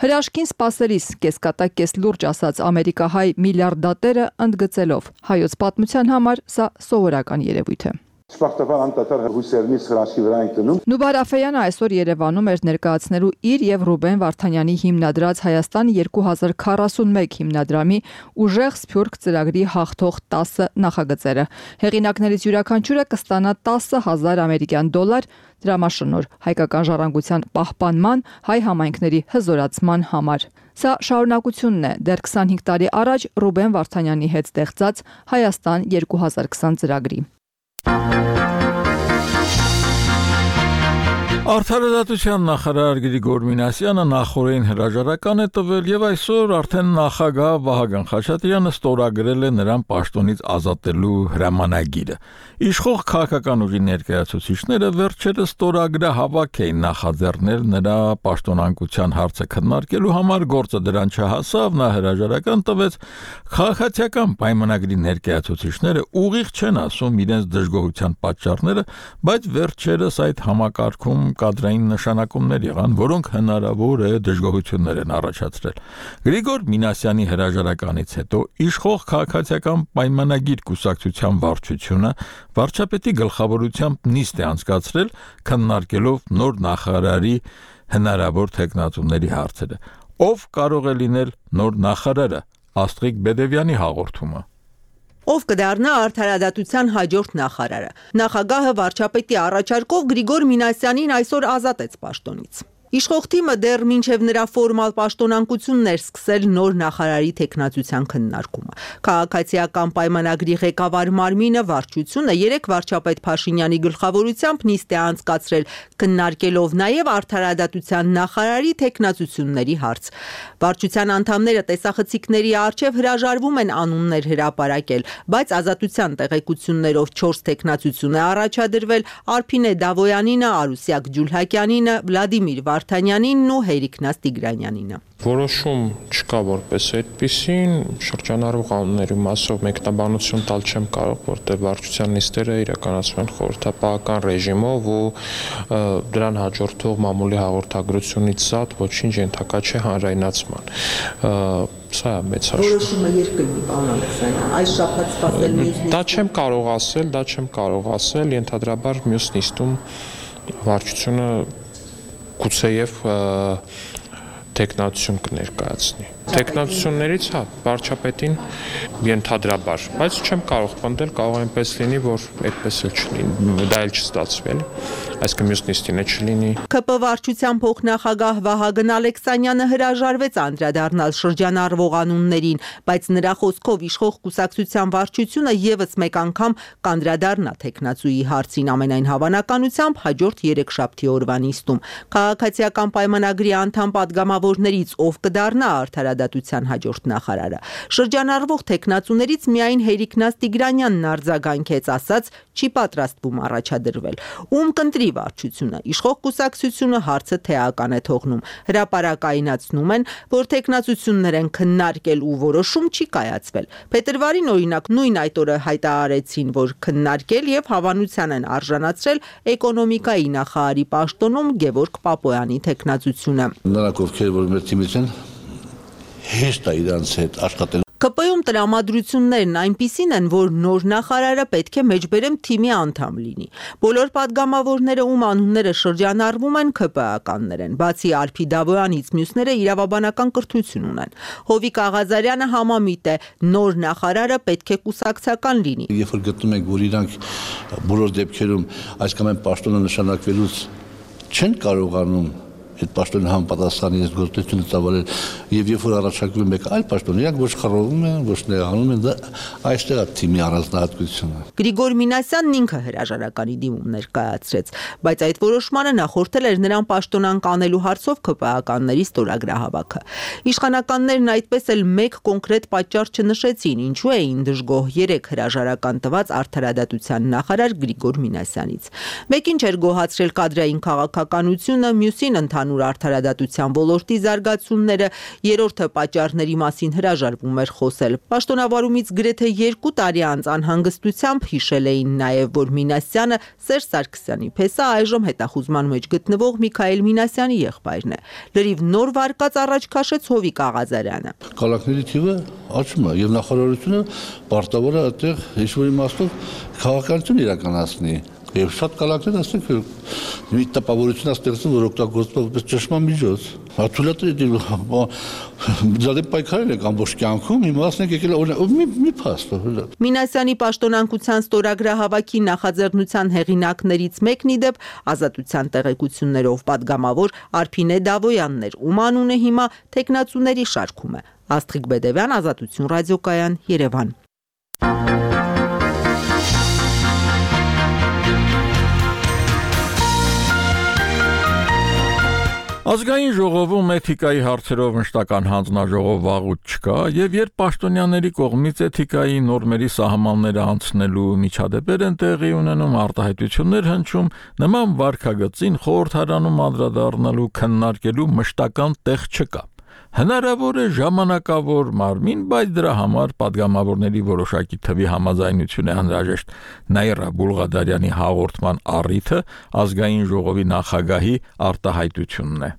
Հրաշքին սպասելիս կեսկատակ կես լուրջ ասաց ամերիկահայ միլիարդատերը ընդգծելով. հայոց պատմության համար սա սովորական երևույթ է։ Շփախտաբար անդադար հույսերնից հրաշքի վրա ենք դնում։ Նուբար Աֆեյանը այսօր Երևանում էր ներկայացնելու իր եւ Ռուբեն Վարդանյանի հիմնադրած Հայաստան 2041 հիմնադրամի ուժեղ սփյուռք ծրագրի հաղթող 10 նախագծերը։ Հեղինակներից յուրաքանչյուրը կստանա 10,000 ամերիկյան դոլար դրամաշնորհ հայկական ժառանգության պահպանման, հայ համայնքների հզորացման համար։ Սա շարունակությունն է դեռ 25 տարի առաջ Ռուբեն Վարդանյանի հետ ստեղծած Հայաստան 2020 ծրագրի։ Արդարադատության նախարար Գրիգոր Մինասյանը նախորդին հրաժարական է տվել եւ այսօր արդեն նախագահ Վահագն Խաչատրյանը ստորագրել է նրան պաշտոնից ազատելու հրամանագիրը։ Իշխող քաղաքական ուժի ներկայացուցիչները վերջերս ստորագրահավաք էին նախաձեռնել նրա պաշտոնանկության հարցը քննարկելու համար, գործը դրան չհասավ, նա հրաժարական տվեց։ Քաղաքացիական պայմանագրի ներկայացուցիչները ուղիղ չեն ասում իրենց դժգոհության պատճառները, բայց վերջերս այդ համակարգում կադրային նշանակումներ եղան, որոնք հնարավոր է դժգոհություններ են առաջացրել։ Գրիգոր Մինասյանի հրաժարականից հետո իշխող քաղաքացիական պայմանագիր կուսակցության վարչությունը վարչապետի գլխավորությամբ նիստ է անցկացրել, քննարկելով նոր նախարարի հնարավոր թեկնածուների հարցերը։ Ով կարող է լինել նոր նախարարը, Աստղիկ Բեդևյանի հաղորդումը։ Ով կդառնա արդարադատության հաջորդ նախարարը։ Նախագահը վարչապետի առաջարկով Գրիգոր Մինասյանին այսօր ազատեց պաշտոնից։ Իշխող թիմը դեռ մինչև նրա ֆորմալ պաշտոնանկությունն էր սկսել նոր նախարարի թեկնածության քննարկումը։ Քաղաքացիական պայմանագրի ղեկավար մարմինը վարչությունը երեք վարչապետ Փաշինյանի գլխավորությամբ նիստ է անցկացրել, քննարկելով նաև արդարադատության նախարարի թեկնածությունների հարց։ Վարչության անդամները տեսախցիկների առջև հրաժարվում են անուններ հրապարակել, բայց ազատության տեղեկություններով 4 թեկնածություն է առաջադրվել Արփինե Դավոյանինը, Արուսյակ Ջուլհակյանինը, Վլադիմիր Վարդանյանինն ու Հերիկնաց Տիգրանյանինը։ Որոշում չկա որպես այդպիսին, շրջանառվող անունների մասով մեկնաբանություն տալ չեմ կարող, որտեղ վարչության նիստերը իրականացվում են խորհրդապահական ռեժիմով ու դրան հաջորդող մամուլի հաղորդագրությունից զատ ոչինչ ենթակա չէ հանրայնացման։ Սա է մեծ հաշվի։ Որոշումը երբ կլինի, պարոն Ալեքսանյան, այս շաբաթ սպասել մյուս նիստը։ Դա չեմ կարող ասել, ենթադրաբար մյուս նիստում վարչությունը գուցեև թեկնածություն կներկայացնի։ Թեկնածություններից վարչապետին ենթադրաբար, բայց չեմ կարող պնդել, կարող այնպես լինի, որ այդպես էլ չլինի, դա էլ չստացվի, այսինքն մյուս նիստին է չլինի։ ԿՊ վարչության փոխնախագահ Վահագն Ալեքսանյանը հրաժարվեց անդրադառնալ շրջանառվող անուններին, բայց նրա խոսքով իշխող կուսակցության վարչությունը եւս մեկ անգամ կանդրադառնա թեկնածուի հարցին, ամենայն հավանականությամբ հաջորդ երեքշաբթի օրվա նիստում։ Քաղաքացիական պայմանագրի անդամ պատգամավորներից ով կդառնա արդարադատության հաջորդ նախարարը։ Շրջանառվող թեկնածուներից միայն Հերիկնաց Տիգրանյանն արձագանքեց, ասաց չի պատրաստվում առաջադրվել։ Ում կընտրի վարչությունը, իշխող կուսակցությունը հարցը թեական է թողնում։ Հրապարակայնացնում են, որ թեկնածություններ են քննարկել ու որոշում չի կայացվել։ Փետրվարին օրինակ նույն այդ օրը հայտարարեցին, որ քննարկել եւ հավանության են արժանացրել էկոնոմիկայի նախարարի պաշտոնում Գևորգ Պապոյանի թեկնածությունը։ Նրանք ովքեր որ մեր թիմից են հեշտ է իրանց հետ աշխատել։ ԿՊ-ում տրամադրություններն այնպիսին են, որ նոր նախարարը պետք է մեջբերեմ թիմի անդամ լինի։ Բոլոր падգամավորները, ում անունները շրջանառվում են, ԿՊ-ականներ են, բացի Արփի Դավոյանից մյուսները իրավաբանական կրթություն ունեն։ Հովիկ Աղազարյանը համամիտ է, նոր նախարարը պետք է կուսակցական լինի։ Երբ որ գտնում ենք, որ իրանք բոլոր դեպքերում այս կամ այն պաշտոնը նշանակվելուց չեն կարողանում այդ պաշտոնի համապատասխան իրենց գործունեությունը ծավալել եւ երբ որ առաջարկվում մեկ այլ պաշտոն, իրանք ոչ խռովում են, ոչ նեղանում են, դա այստեղ է թիմի առանձնահատկությունը։ Գրիգոր Մինասյանն ինքը հրաժարականի դիմում ներկայացրեց, բայց այդ որոշմանը նախորդել էր նրան պաշտոնանկ անելու հարցով ԿՊ-ականների ստորագրահավաքը։ Իշխանականներն այդպես էլ մեկ կոնկրետ պատճառ չնշեցին, ինչու էին դժգոհ 3 հրաժարական տված արդարադատության նախարար Գրիգոր Մինասյանից։ Մեկին չէր գոհացրել կադրային քաղաքականությունը, մյուսին ընդհանուր արդարադատության ոլորտի զարգացումները, երրորդը պատճառների մասին հրաժարվում էր խոսել։ Պաշտոնավարումից գրեթե 2 տարի անց անհանգստությամբ հիշել էին նաև, որ Մինասյանը Սերժ Սարգսյանի փեսա այժմ հետախուզման մեջ գտնվող Միքայել Մինասյանի եղբայրն է։ Լրիվ նոր վարկած առաջ քաշեց Հովիկ Աղազարյանը։ Կալակների թիվը աճում է եւ նախարարությունը պարտավոր է այդտեղ ինչ-որ իմաստով քաղաքականություն իրականացնի։ Եվ շատ կալակներ ասենք մի տպավորություն ստեղծում, որ օգտագործվում որպես ճնշման միջոց։ Աթուլատրի դե պայքարել եք ամբողջ կյանքում, հիմա ասենք եկել մի փաստ։ Մինասյանի պաշտոնանկության ստորագրահավաքի նախաձեռնության հեղինակներից մեկն ի դեպ Ազատության տեղեկություններով պատգամավոր Արփինե Դավոյանն էր, ում անունը հիմա թեկնածուների շարքում է։ Աստղիկ Բեդևյան, Ազատություն ռադիոկայան, Երևան։ Ազգային ժողովում էթիկայի հարցերով մշտական հանձնաժողով վաղուց չկա, եւ երբ պաշտոնյաների կողմից էթիկայի նորմերի սահմանները անցնելու միջադեպեր են տեղի ունենում, արտահայտություններ հնչում, նման վարքագծին խորհրդարանում անդրադառնալու քննարկելու մշտական տեղ չկա։ Հնարավոր է ժամանակավոր մարմին, բայց դրա համար պատգամավորների որոշակի թվի համաձայնություն է անհրաժեշտ։ Նաիրա Բուլղադարյանի հաղորդման առիթը ազգային ժողովի նախագահի արտահայտությունն է։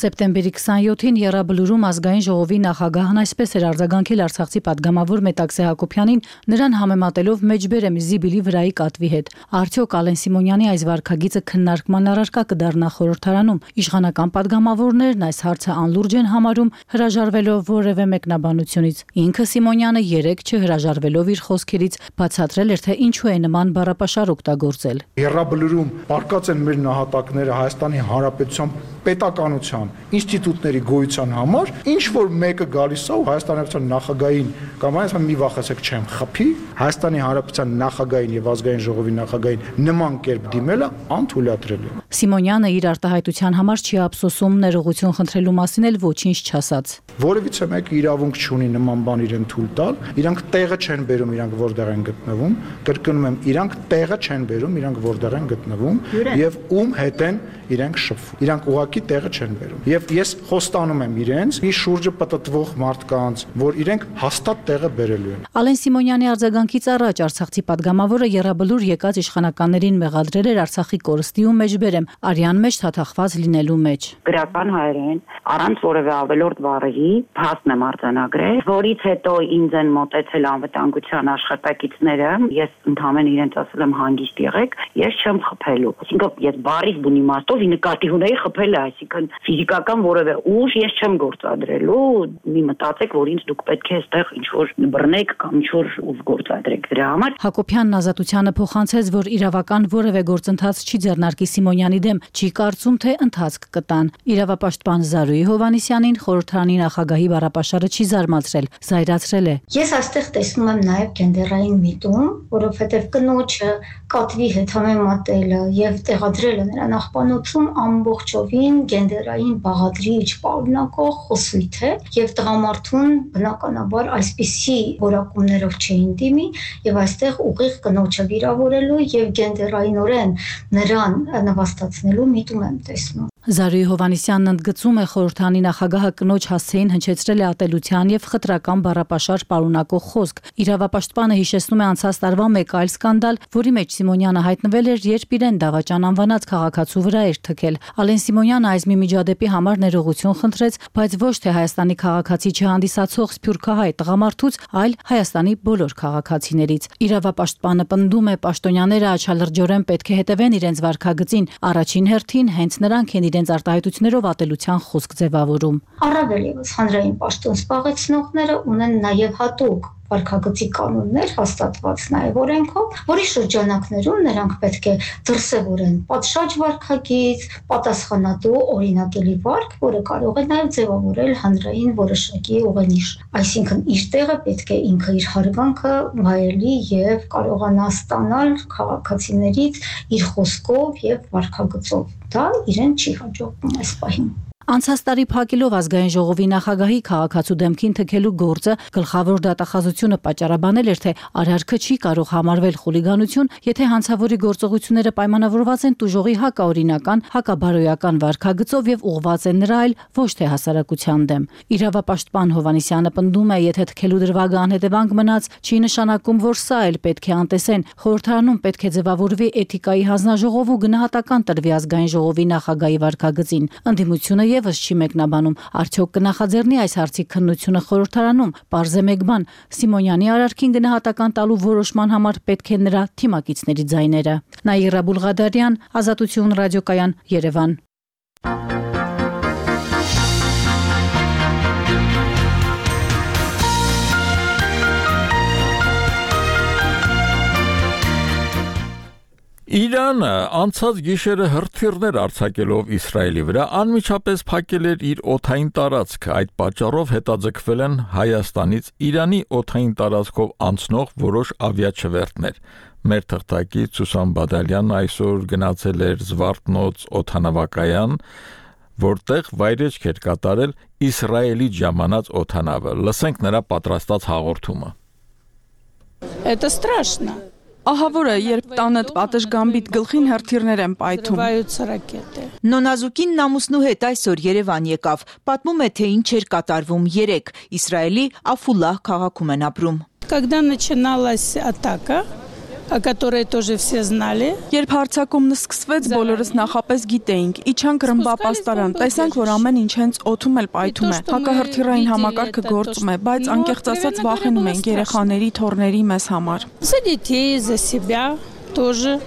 Սեպտեմբերի 27-ին Եռաբլուրում ազգային ժողովի նախագահն այսպես էր արձագանքել Արցախցի պատգամավոր Մետաքսե Հակոբյանին, նրան համեմատելով մեջբերեմ Զիբիլի վրայի կատվի հետ։ Արդյոք Ալեն Սիմոնյանի այս վարքագիծը քննարկման առարկա կդառնա խորհրդարանում։ Իշխանական պատգամավորներն այս հարցը անլուրջ են համարում, հրաժարվելով որևէ մեկնաբանությունից։ Ինքը Սիմոնյանը երեկ չհրաժարվելով իր խոսքերից բացատրել էր, թե ինչու է նման բառապաշար օգտագործել։ Եռաբլուրում պարկած են մեր նահատակները Հայաստանի Հանրապետության պետականության ինստիտուտների գոյության համար, ինչ որ մեկը գալիս է ու Հայաստանի Հանրապետության նախագահին կամ այսպես մի վախեցեք չեմ խփի, Հայաստանի Հանրապետության նախագահին եւ ազգային ժողովի նախագահին նման կերպ դիմելը անթույլատրելի է։ Սիմոնյանը իր արտահայտության համար չի ափսոսում, ներողություն խնդրելու մասին էլ ոչինչ չասաց։ Որևիցե մեկը իրավունք չունի նման բան իրեն թույլ տալ, իրանք տեղը չեն բերում, իրանք որտեղ են գտնվում, կրկնում եմ, իրանք տեղը չեն բերում, իրանք որտեղ են գտնվում եւ ում հետ են իրենք շփվում։ Իրանք ուղակի տեղը չեն բերում։ Եվ ես խոստանում եմ իրենց, մի շուրջը պատտվող մարդկանց, որ իրենք հաստատ տեղը բերելու են։ Ալեն Սիմոնյանի արձագանքից առաջ Արցախցի պատգամավորը Եռաբլուր եկած իշխանականներին մեղադրել էր Արցախի կորստի ու մեջբերեմ արյան մեջ թաթախված լինելու մեջ։ Գրական հայերեն, առանց որևէ ավելորդ բառերի, փաստն եմ արձանագրել, որից հետո ինձ են մոտեցել անվտանգության աշխատակիցները, ես ընդհանրեն իրենց ասել եմ հանգիստ եղեք, ես չեմ խփելու։ Այսինքն ես բառից բուն իմաստով նկատի ունեի խփելը, այսինքն ֆիզիկական որևէ ուժ ես չեմ գործադրելու, մի մտածեք, որ ինձ դուք պետք է այստեղ ինչ-որ բռնեք կամ ինչ-որ ուժ գործադրեք դրա համար։ Հակոբյանն Ազատությանը փոխանցեց, որ իրավական որևէ գործընթաց չի ձեռնարկի Սիմոնյանի դեմ, չի կարծում, թե ընթացք կտան։ Իրավապաշտպան Զարուհի Հովհաննիսյանին խորհրդարանի նախագահի բառապաշարը չի զարմացրել, զայրացրել է։ Ես այստեղ տեսնում եմ նաև գենդերային միտում, որովհետև կնոջը կատվի հետ համեմատելը եւ տեղադրելը նրա նախպանոցում ամբողջովին գենդերային բաղադրիչ պարունակող խոսույթ է եւ տղամարդուն բնականաբար այսպիսի որակումներով չէին դիմի եւ այստեղ ուղիղ կնոջը վիրավորելու եւ գենդերայինորեն նրան նվաստացնելու միտում եմ տեսնում։ Զարուհի Հովհաննիսյանն ընդգծում է խորհրդանի նախագահը կնոջ հասցեին հնչեցրել է ատելության եւ խտրական բառապաշար պարունակող խոսք։ Իրավապաշտպանը հիշեցնում է անցած տարվա մեկ այլ սկանդալ, որի մեջ Սիմոնյանը հայտնվել էր, երբ իրեն դավաճան անվանած քաղաքացու վրա էր թքել։ Ալեն Սիմոնյանը այս մի միջադեպի համար ներողություն խնդրեց, բայց ոչ թե Հայաստանի քաղաքացի չհանդիսացող սփյուռքահայ տղամարդուց, այլ Հայաստանի բոլոր քաղաքացիներից։ Իրավապաշտպանը պնդում է, պաշտոնյաները աչալրջորեն պետք է հետևեն իրենց վարքագծին, առաջին հերթին հենց նրանք են իրենց արտահայտություններով ատելության խոսք ձևավորում։ Առավել ևս հանրային պաշտոն զբաղեցնողները ունեն նաև հատուկ վարքագծի կանոններ հաստատված նաև օրենքով, որի շրջանակներում նրանք պետք է դրսևորեն պատշաճ վարքագիծ, պատասխանատու օրինակելի վարք, որը կարող է նաև ձևավորել հանրային որոշակի ուղենիշ։ Այսինքն իր տեղը պետք է ինքը իր հարգանքը վայելի եւ կարողանա ստանալ քաղաքացիներից իր խոսքով եւ վարքագծով։ Դա իրեն չի հաջողվում այս պահին։ Անցած տարի փակելով ազգային ժողովի նախագահի քաղաքացու դեմքին թքելու գործը գլխավոր դատախազությունը պատճառաբանել էր, թե արարքը չի կարող համարվել խուլիգանություն, եթե հանցավորի գործողությունները պայմանավորված են տուժողի հակաօրինական, հակաբարոյական վարքագծով եւ ուղղված են նրա այլ ոչ թե հասարակության դեմ։ Իրավապաշտպան Հովհաննիսյանը պնդում է, եթե թքելու դրվագը անհետևանք մնաց, չի նշանակում, որ սա էլ պետք է անտեսեն։ Խորհրդարանում պետք է ձևավորվի էթիկայի հանձնաժողով ու գնահատական տրվի ազգային ժողովի նախագահի վարքագծին։ Ընդդիմությունը եւս չի մեկնաբանում, արդյոք կնախաձեռնի այս հարցի քննությունը խորհրդարանում։ Պարզ է մեկ բան, Սիմոնյանի արարքին գնահատական տալու որոշման համար պետք է նրա թիմակիցների ձայները։ Նաիրա Բուլղադարյան, Ազատություն ռադիոկայան, Երևան։ Իրանը անցած գիշերը հրթիռներ արձակելով Իսրայելի վրա անմիջապես փակել էր իր օդային տարածքը, այդ պատճառով հետաձգվել են Հայաստանից Իրանի օդային տարածքով անցնող որոշ ավիաչվերթներ։ Մեր թղթակից Սուսան Բադալյանն այսօր գնացել էր Զվարթնոց օդանավակայան, որտեղ վայրեջք էր կատարել Իսրայելի ժամանած օդանավը։ Լսենք նրա պատրաստած հաղորդումը։ Это страшно. Ահավոր է, երբ տանդ պատշգամբիտ գլխին հրթիռներ են պայթում։ Նոնազուկին ամուսնու հետ այսօր Երևան եկավ, պատմում է, թե ինչ էր կատարվում երեկ, Իսրայելի Աֆուլահ քաղաքում են ապրում։ Когда начиналась атака, о которой тоже все знали. Երբ հարձակումն սկսվեց, բոլորս նախապես գիտեինք, իջանք ռմբապաստարան, տեսանք, որ ամեն ինչ հենց օդում էլ պայթում է։ Հակահրթիռային համակարգը գործում է, բայց անկեղծ ասած վախենում ենք երեխաների, թոռների մեզ համար։ За детей, за себя тоже,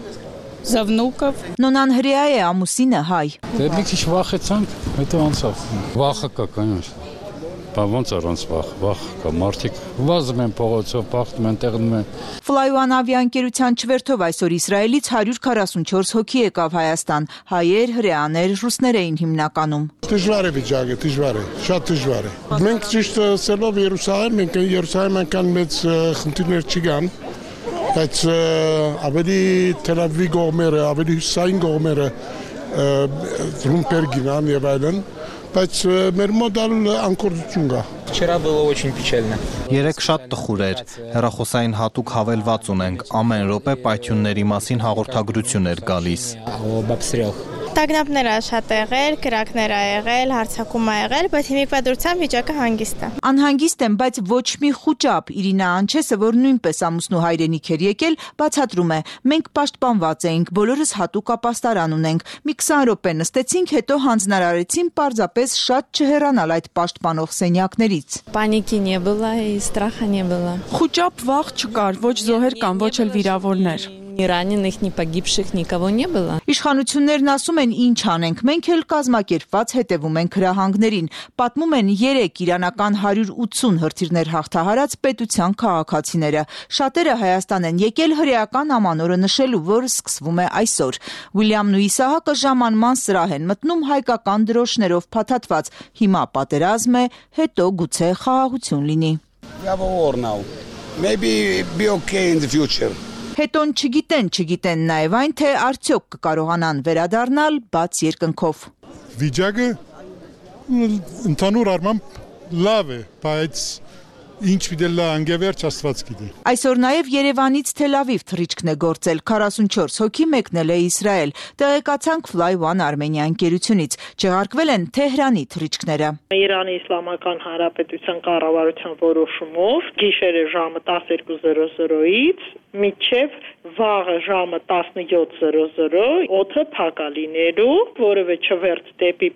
за внуков. Նոնան հրեա է, ամուսինը հայ։ Դե մի քիչ վախեցանք, հետո անցավ։ Վախը կա, конечно։ Ոնց առանց վախ կա, մարդիկ վազում են փողոցով, բախտում են, տեղնում են։ Fly-One ավիաընկերության չվերթով այսօր Իսրայելից 144 հոգի եկավ Հայաստան, հայեր, հրեաներ, ռուսներ էին հիմնականում։ Դժվար է վիճակը, դժվար է, շատ դժվար է։ Մենք ճիշտ ասելով Երուսաղեմ, մենք Երուսաղեմ այնքան մեծ խնդիրներ չկան, բայց ավելի Թել Ավիվի կողմերը, ավելի հյուսիսային կողմերը Ռումպերգինան եւ այլն, բայց մեր մոտ անկորձություն կա։ Вчера было очень печально. Երեք շատ տխուր էր։ Հեռախոսային հատուկ հավելված ունենք, ամեն րոպե պայթյունների մասին հաղորդագրություն էր գալիս։ Տագնապներ ա շատ եղել, կրակներ ա եղել, հարձակում ա եղել, բայց հիմիկվա դրությամբ վիճակը հանգիստ է։ Անհանգիստ եմ, բայց ոչ մի խուճապ։ Իրինա Անչեսը, որ նույնպես ամուսնու հայրենիք էր եկել, բացատրում է. մենք պաշտպանված էինք, բոլորս հատուկ ապաստարան ունենք։ Մի 20 րոպե նստեցինք, հետո հանձնարարեցին պարզապես շատ չհեռանալ այդ պաշտպանող սենյակներից։ Պանիկի не было и страха не было. Խուճապ վախ չկար, ոչ զոհեր կան, ոչ էլ վիրավորներ։ Ни раненых, ни погибших никого не было. Իշխանություններն ասում են ինչ անենք, մենք էլ կազմակերպված հետևում ենք հրահանգներին։ Պատմում են 3 իրանական 180 հրթիռներ հաղթահարած պետության քաղաքացիները։ Շատերը Հայաստան են եկել հրեական ամանորը նշելու, որը սկսվում է այսօր։ Ուիլյամն ու Իսահակը ժամանման սրահ են մտնում հայկական դրոշներով փաթաթված։ Հիմա պատերազմ է, հետո գուցե խաղաղություն լինի։ We have a war now. Maybe be okay in the future. Հետոն չգիտեն նաև այն, թե արդյոք կկարողանան վերադառնալ բաց երկնքով։ Վիճակը ընդհանուր առմամբ լավ է, բայց ինչ դելա անգևերջ Աստված գիտի։ Այսօր նաև Երևանից Թել Ավիվ թռիչքն է գործել, 44 հոգի մեկնել է Իսրայել։ Տեղեկացանք Fly-One Armenia ընկերությունից, չեղարկվել են Թեհրանի թռիչքները։ Իրանի Իսլամական Հանրապետության կառավարության որոշումով գիշերը ժամը 12:00-ից մինչև վաղը ժամը 17:00 օդը փակ է լինելու, որևէ չվերթ դեպի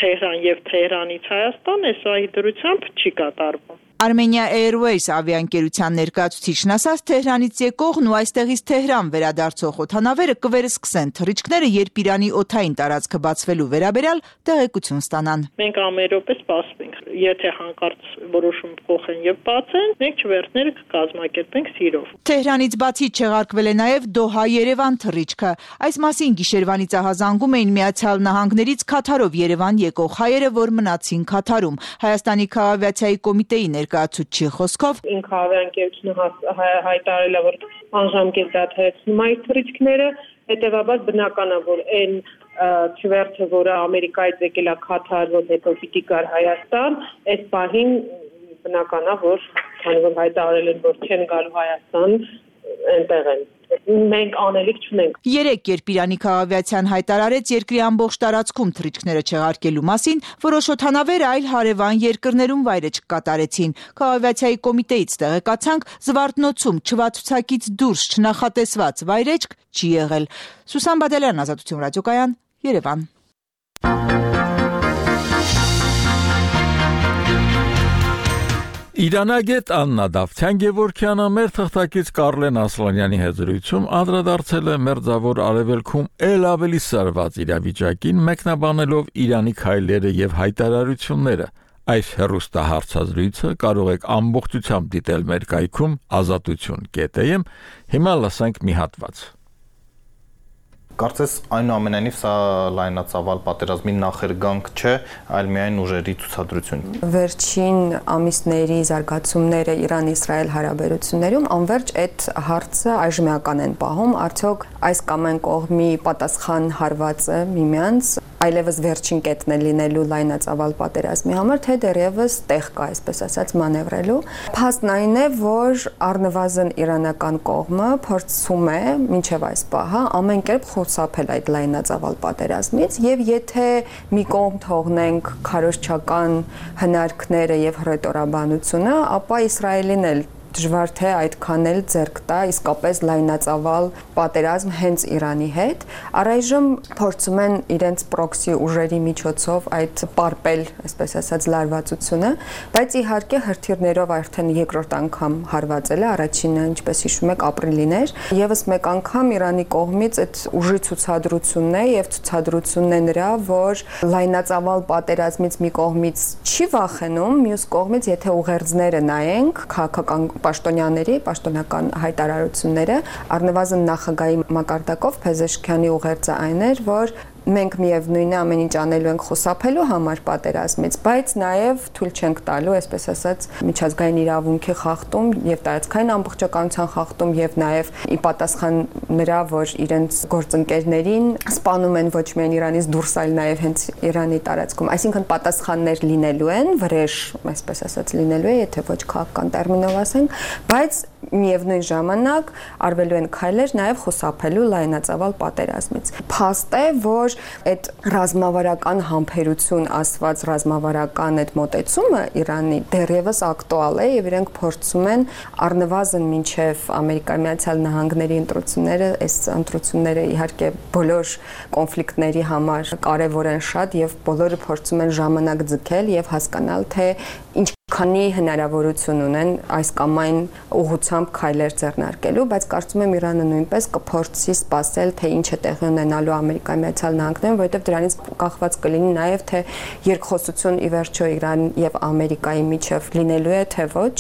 Թեհրան եւ Թեհրանից Հայաստան այս դրությամբ չի կատարվում։ Armenia Airways ավիաընկերության ներկայացուցիչն ասաց, Թեհրանից եկողն ու այստեղից Թեհրան վերադարձող օդանավերը կվերսկսեն թռիչքները, երբ Իրանի օդային տարածքը բացվելու վերաբերյալ տեղեկություն ստանան։ Մենք ամենրոպե սպասվենք, եթե հանկարծ որոշում փոխեն եւ բացեն, մենք չվերթները կկազմակերպենք սիրով։ Թեհրանից բացի չեղարկվել է նաև Դոհա-Երևան թռիչքը։ Այս մասին գիշերվանից ահազանգում էին Միացյալ Նահանգներից Քաթարով Երևան եկող հայերը, որ մնացին Քաթարում։ Հայաստանի քաղաքավիացիայի կոմիտեի ներկայացուցիչի խոսքով ինքնավիաընկերությունը հայտարարել է, որ անժամկետ դադարեցնում այդ թռիչքները, հետևաբար բնական է, որ այն չվերթը, որը Ամերիկայից եկել է Քաթար, որ հետո պիտի գար Հայաստան, այս պահին բնական է, որ քանի որ հայտարարել են, որ չեն գալու Հայաստան, այնտեղ են։ Մենք անելիք չունենք։ 3 երբ Իրանի քաղաքավիացիան հայտարարեց երկրի ամբողջ տարածքում թռիչքները չեղարկելու մասին, որոշ օդանավեր այլ հարևան երկրներում վայրէջք կատարեցին։ Քաղաքավիացիայի կոմիտեից տեղեկացանք, Զվարթնոցում չվացուցակից դուրս չնախատեսված վայրէջք չի եղել։ Սուսան Բադալյան, Ազատություն ռադիոկայան, Երևան։ Իրանագետ Աննա Դավթյան-Գևորգյանը մեր թղթակից Կարլեն Ասլանյանի հետ զրույցում անդրադարձել է Մերձավոր Արևելքում ել ավելի սրված իրավիճակին, մեկնաբանելով Իրանի քայլերը եւ հայտարարությունները։ Այս հեռուստահարցազրույցը կարող եք ամբողջությամբ դիտել մեր կայքում azatutun.am։ Հիմա լսենք մի հատված։ Կարծես այնուամենայնիվ սա լայնածավալ պատերազմի նախերգանք չէ, այլ միայն ուժերի ցուցադրություն։ Վերջին ամիսների զարգացումները Իրան-Իսրայել հարաբերություններում անverջ այդ հարցը այժմեական են պահում, արդյոք այս կամ այն կողմի պատասխան հարվածը միմյանց այլևս վերջին կետն է լինելու լայնածավալ պատերազմի համար, թե դեռևս տեղ կա, այսպես ասած, մանևրելու։ Փաստն այն է, որ առնվազն իրանական կողմը փորձում է մինչև այս պահը ամեն կերպ խուսափել այդ լայնածավալ պատերազմից, եւ եթե մի կողմ թողնենք քարոզչական հնարքները եւ հռետորաբանությունը, ապա Իսրայելին էլ դժվար թե այդքան էլ ձեռք տա իսկապես լայնածավալ պատերազմ հենց Իրանի հետ։ Առայժմ փորձում են իրենց պրոքսի ուժերի միջոցով այդ պարպել, այսպես ասած, լարվածությունը, բայց իհարկե հրթիռներով արդեն երկրորդ անգամ հարվածել է, առաջինը, ինչպես հիշում եք, ապրիլին էր, եւս մեկ անգամ Իրանի կողմից այդ ուժի ցուցադրությունն է եւ ցուցադրությունն է նրա, որ լայնածավալ պատերազմից մի կողմից չի վախենում, մյուս կողմից եթե ուղերձները նայենք, քաղաքական պաշտոնական հայտարարությունները, առնվազն նախագահի մակարդակով Փեզեշքյանի ուղերձը այն էր, որ մենք միևնույն է ամեն ինչ անելու ենք խուսափելու համար պատերազմից, բայց նաև թույլ չենք տալու, այսպես ասած, միջազգային իրավունքի խախտում եւ տարածքային ամբողջականության խախտում եւ նաև ի պատասխան նրա, որ իրենց գործընկերներին սպանում են ոչ միայն Իրանից դուրս, այլ նաև հենց Իրանի տարածքում, այսինքն պատասխաններ լինելու են, վրեժ, այսպես ասած, լինելու է, եթե ոչ քաղաքական տերմինով ասենք, բայց միևնույն ժամանակ արվելու են քայլեր նաև խուսափելու լայնածավալ պատերազմից։ Փաստ է, որ այդ ռազմավարական համբերություն ասված ռազմավարական այդ մոտեցումը Իրանի դեռևս ակտուալ է եւ իրենք փորձում են առնվազն մինչեւ Ամերիկայի Միացյալ Նահանգների ընտրությունները, այս ընտրությունները իհարկե բոլոր կոնֆլիկտների համար կարեւոր են շատ եւ բոլորը փորձում են ժամանակ ձգել եւ հասկանալ թե քանի հնարավորություն ունեն այս կամ այն ուղղությամբ քայլեր ձեռնարկելու, բայց կարծում եմ Իրանը նույնպես կփորձի սպասել, թե ինչ է տեղի ունենալու Ամերիկայի Միացյալ Նահանգներում, որովհետև դրանից կախված կլինի նաև թե երկխոսություն ի վերջո Իրան եւ Ամերիկայի միջև լինելու է, թե ոչ,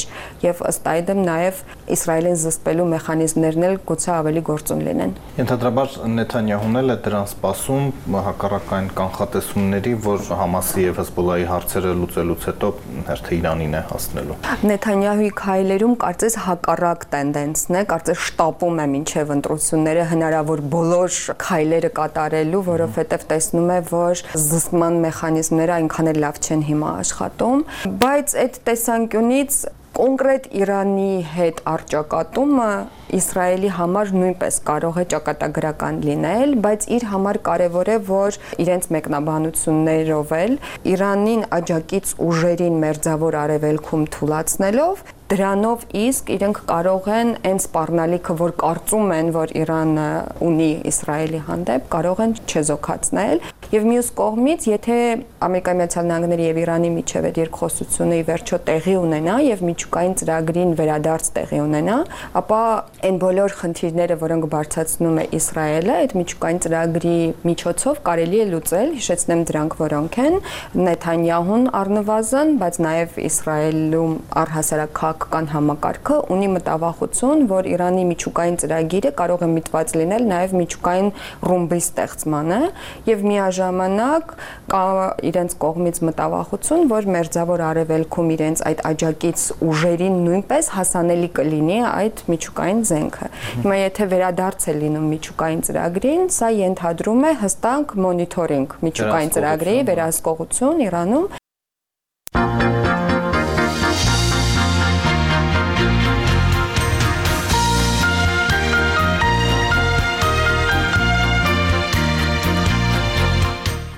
եւ ըստ այդմ նաև Իսրայելին զսպելու մեխանիզմներն էլ գուցե ավելի գործուն լինեն։ Ենթադրաբար Նեթանյահուն էլ է դրան սպասում հակառակային կանխատեսումների, որ Համասի եւ Հեզբոլլայի հարցերը լուծելուց հետո հերթը Իրանին է հասնելու։ Նեթանյահուի քայլերում կարծես հակառակ տենդենսն է, կարծես շտապում է մինչև ընտրությունները հնարավոր բոլոր քայլերը կատարելու, որովհետև տեսնում է, որ զսպման մեխանիզմները այնքան էլ լավ չեն հիմա աշխատում, բայց այդ տեսանկյունից կոնկրետ Իրանի հետ առճակատումը Իսրայելի համար նույնպես կարող է ճակատագրական լինել, բայց իր համար կարևոր է, որ իրենց մեկնաբանություններով էլ Իրանին աջակից ուժերին մերձավոր արևելքում թուլացնելով դրանով իսկ իրենք կարող են այն սպառնալիքը, որ կարծում են, որ Իրանը ունի Իսրայելի հանդեպ, կարող են չեզոքացնել եւ մյուս կողմից, եթե Ամերիկայի Միացյալ Նահանգների եւ Իրանի միջև այդ երկխոսությունը ի վերջո տեղի ունենա եւ միջուկային ծրագրին վերադարձ տեղի ունենա, ապա այն բոլոր խնդիրները, որոնք բարձրացնում է Իսրայելը, այդ միջուկային ծրագրի միջոցով կարելի է լուծել, հիշեցնեմ դրանք որոնք են Նեթանյահուն առնվազն, բայց նաեւ Իսրայելում առհասարակ քաղաքական համակարգը ունի մտավախություն, որ Իրանի միջուկային ծրագիրը կարող է միտված լինել նաև միջուկային ռումբի ստեղծմանը եւ միաժամանակ կա իրենց կողմից մտավախություն, որ մերձավոր արևելքում իրենց այդ աջակից ուժերին նույնպես հասանելի կլինի այդ միջուկային զենքը։ Հիմա եթե վերադարձ է լինում միջուկային ծրագրին, սա ենթադրում է հստակ մոնիթորինգ միջուկային ծրագրի վերահսկողություն Իրանում։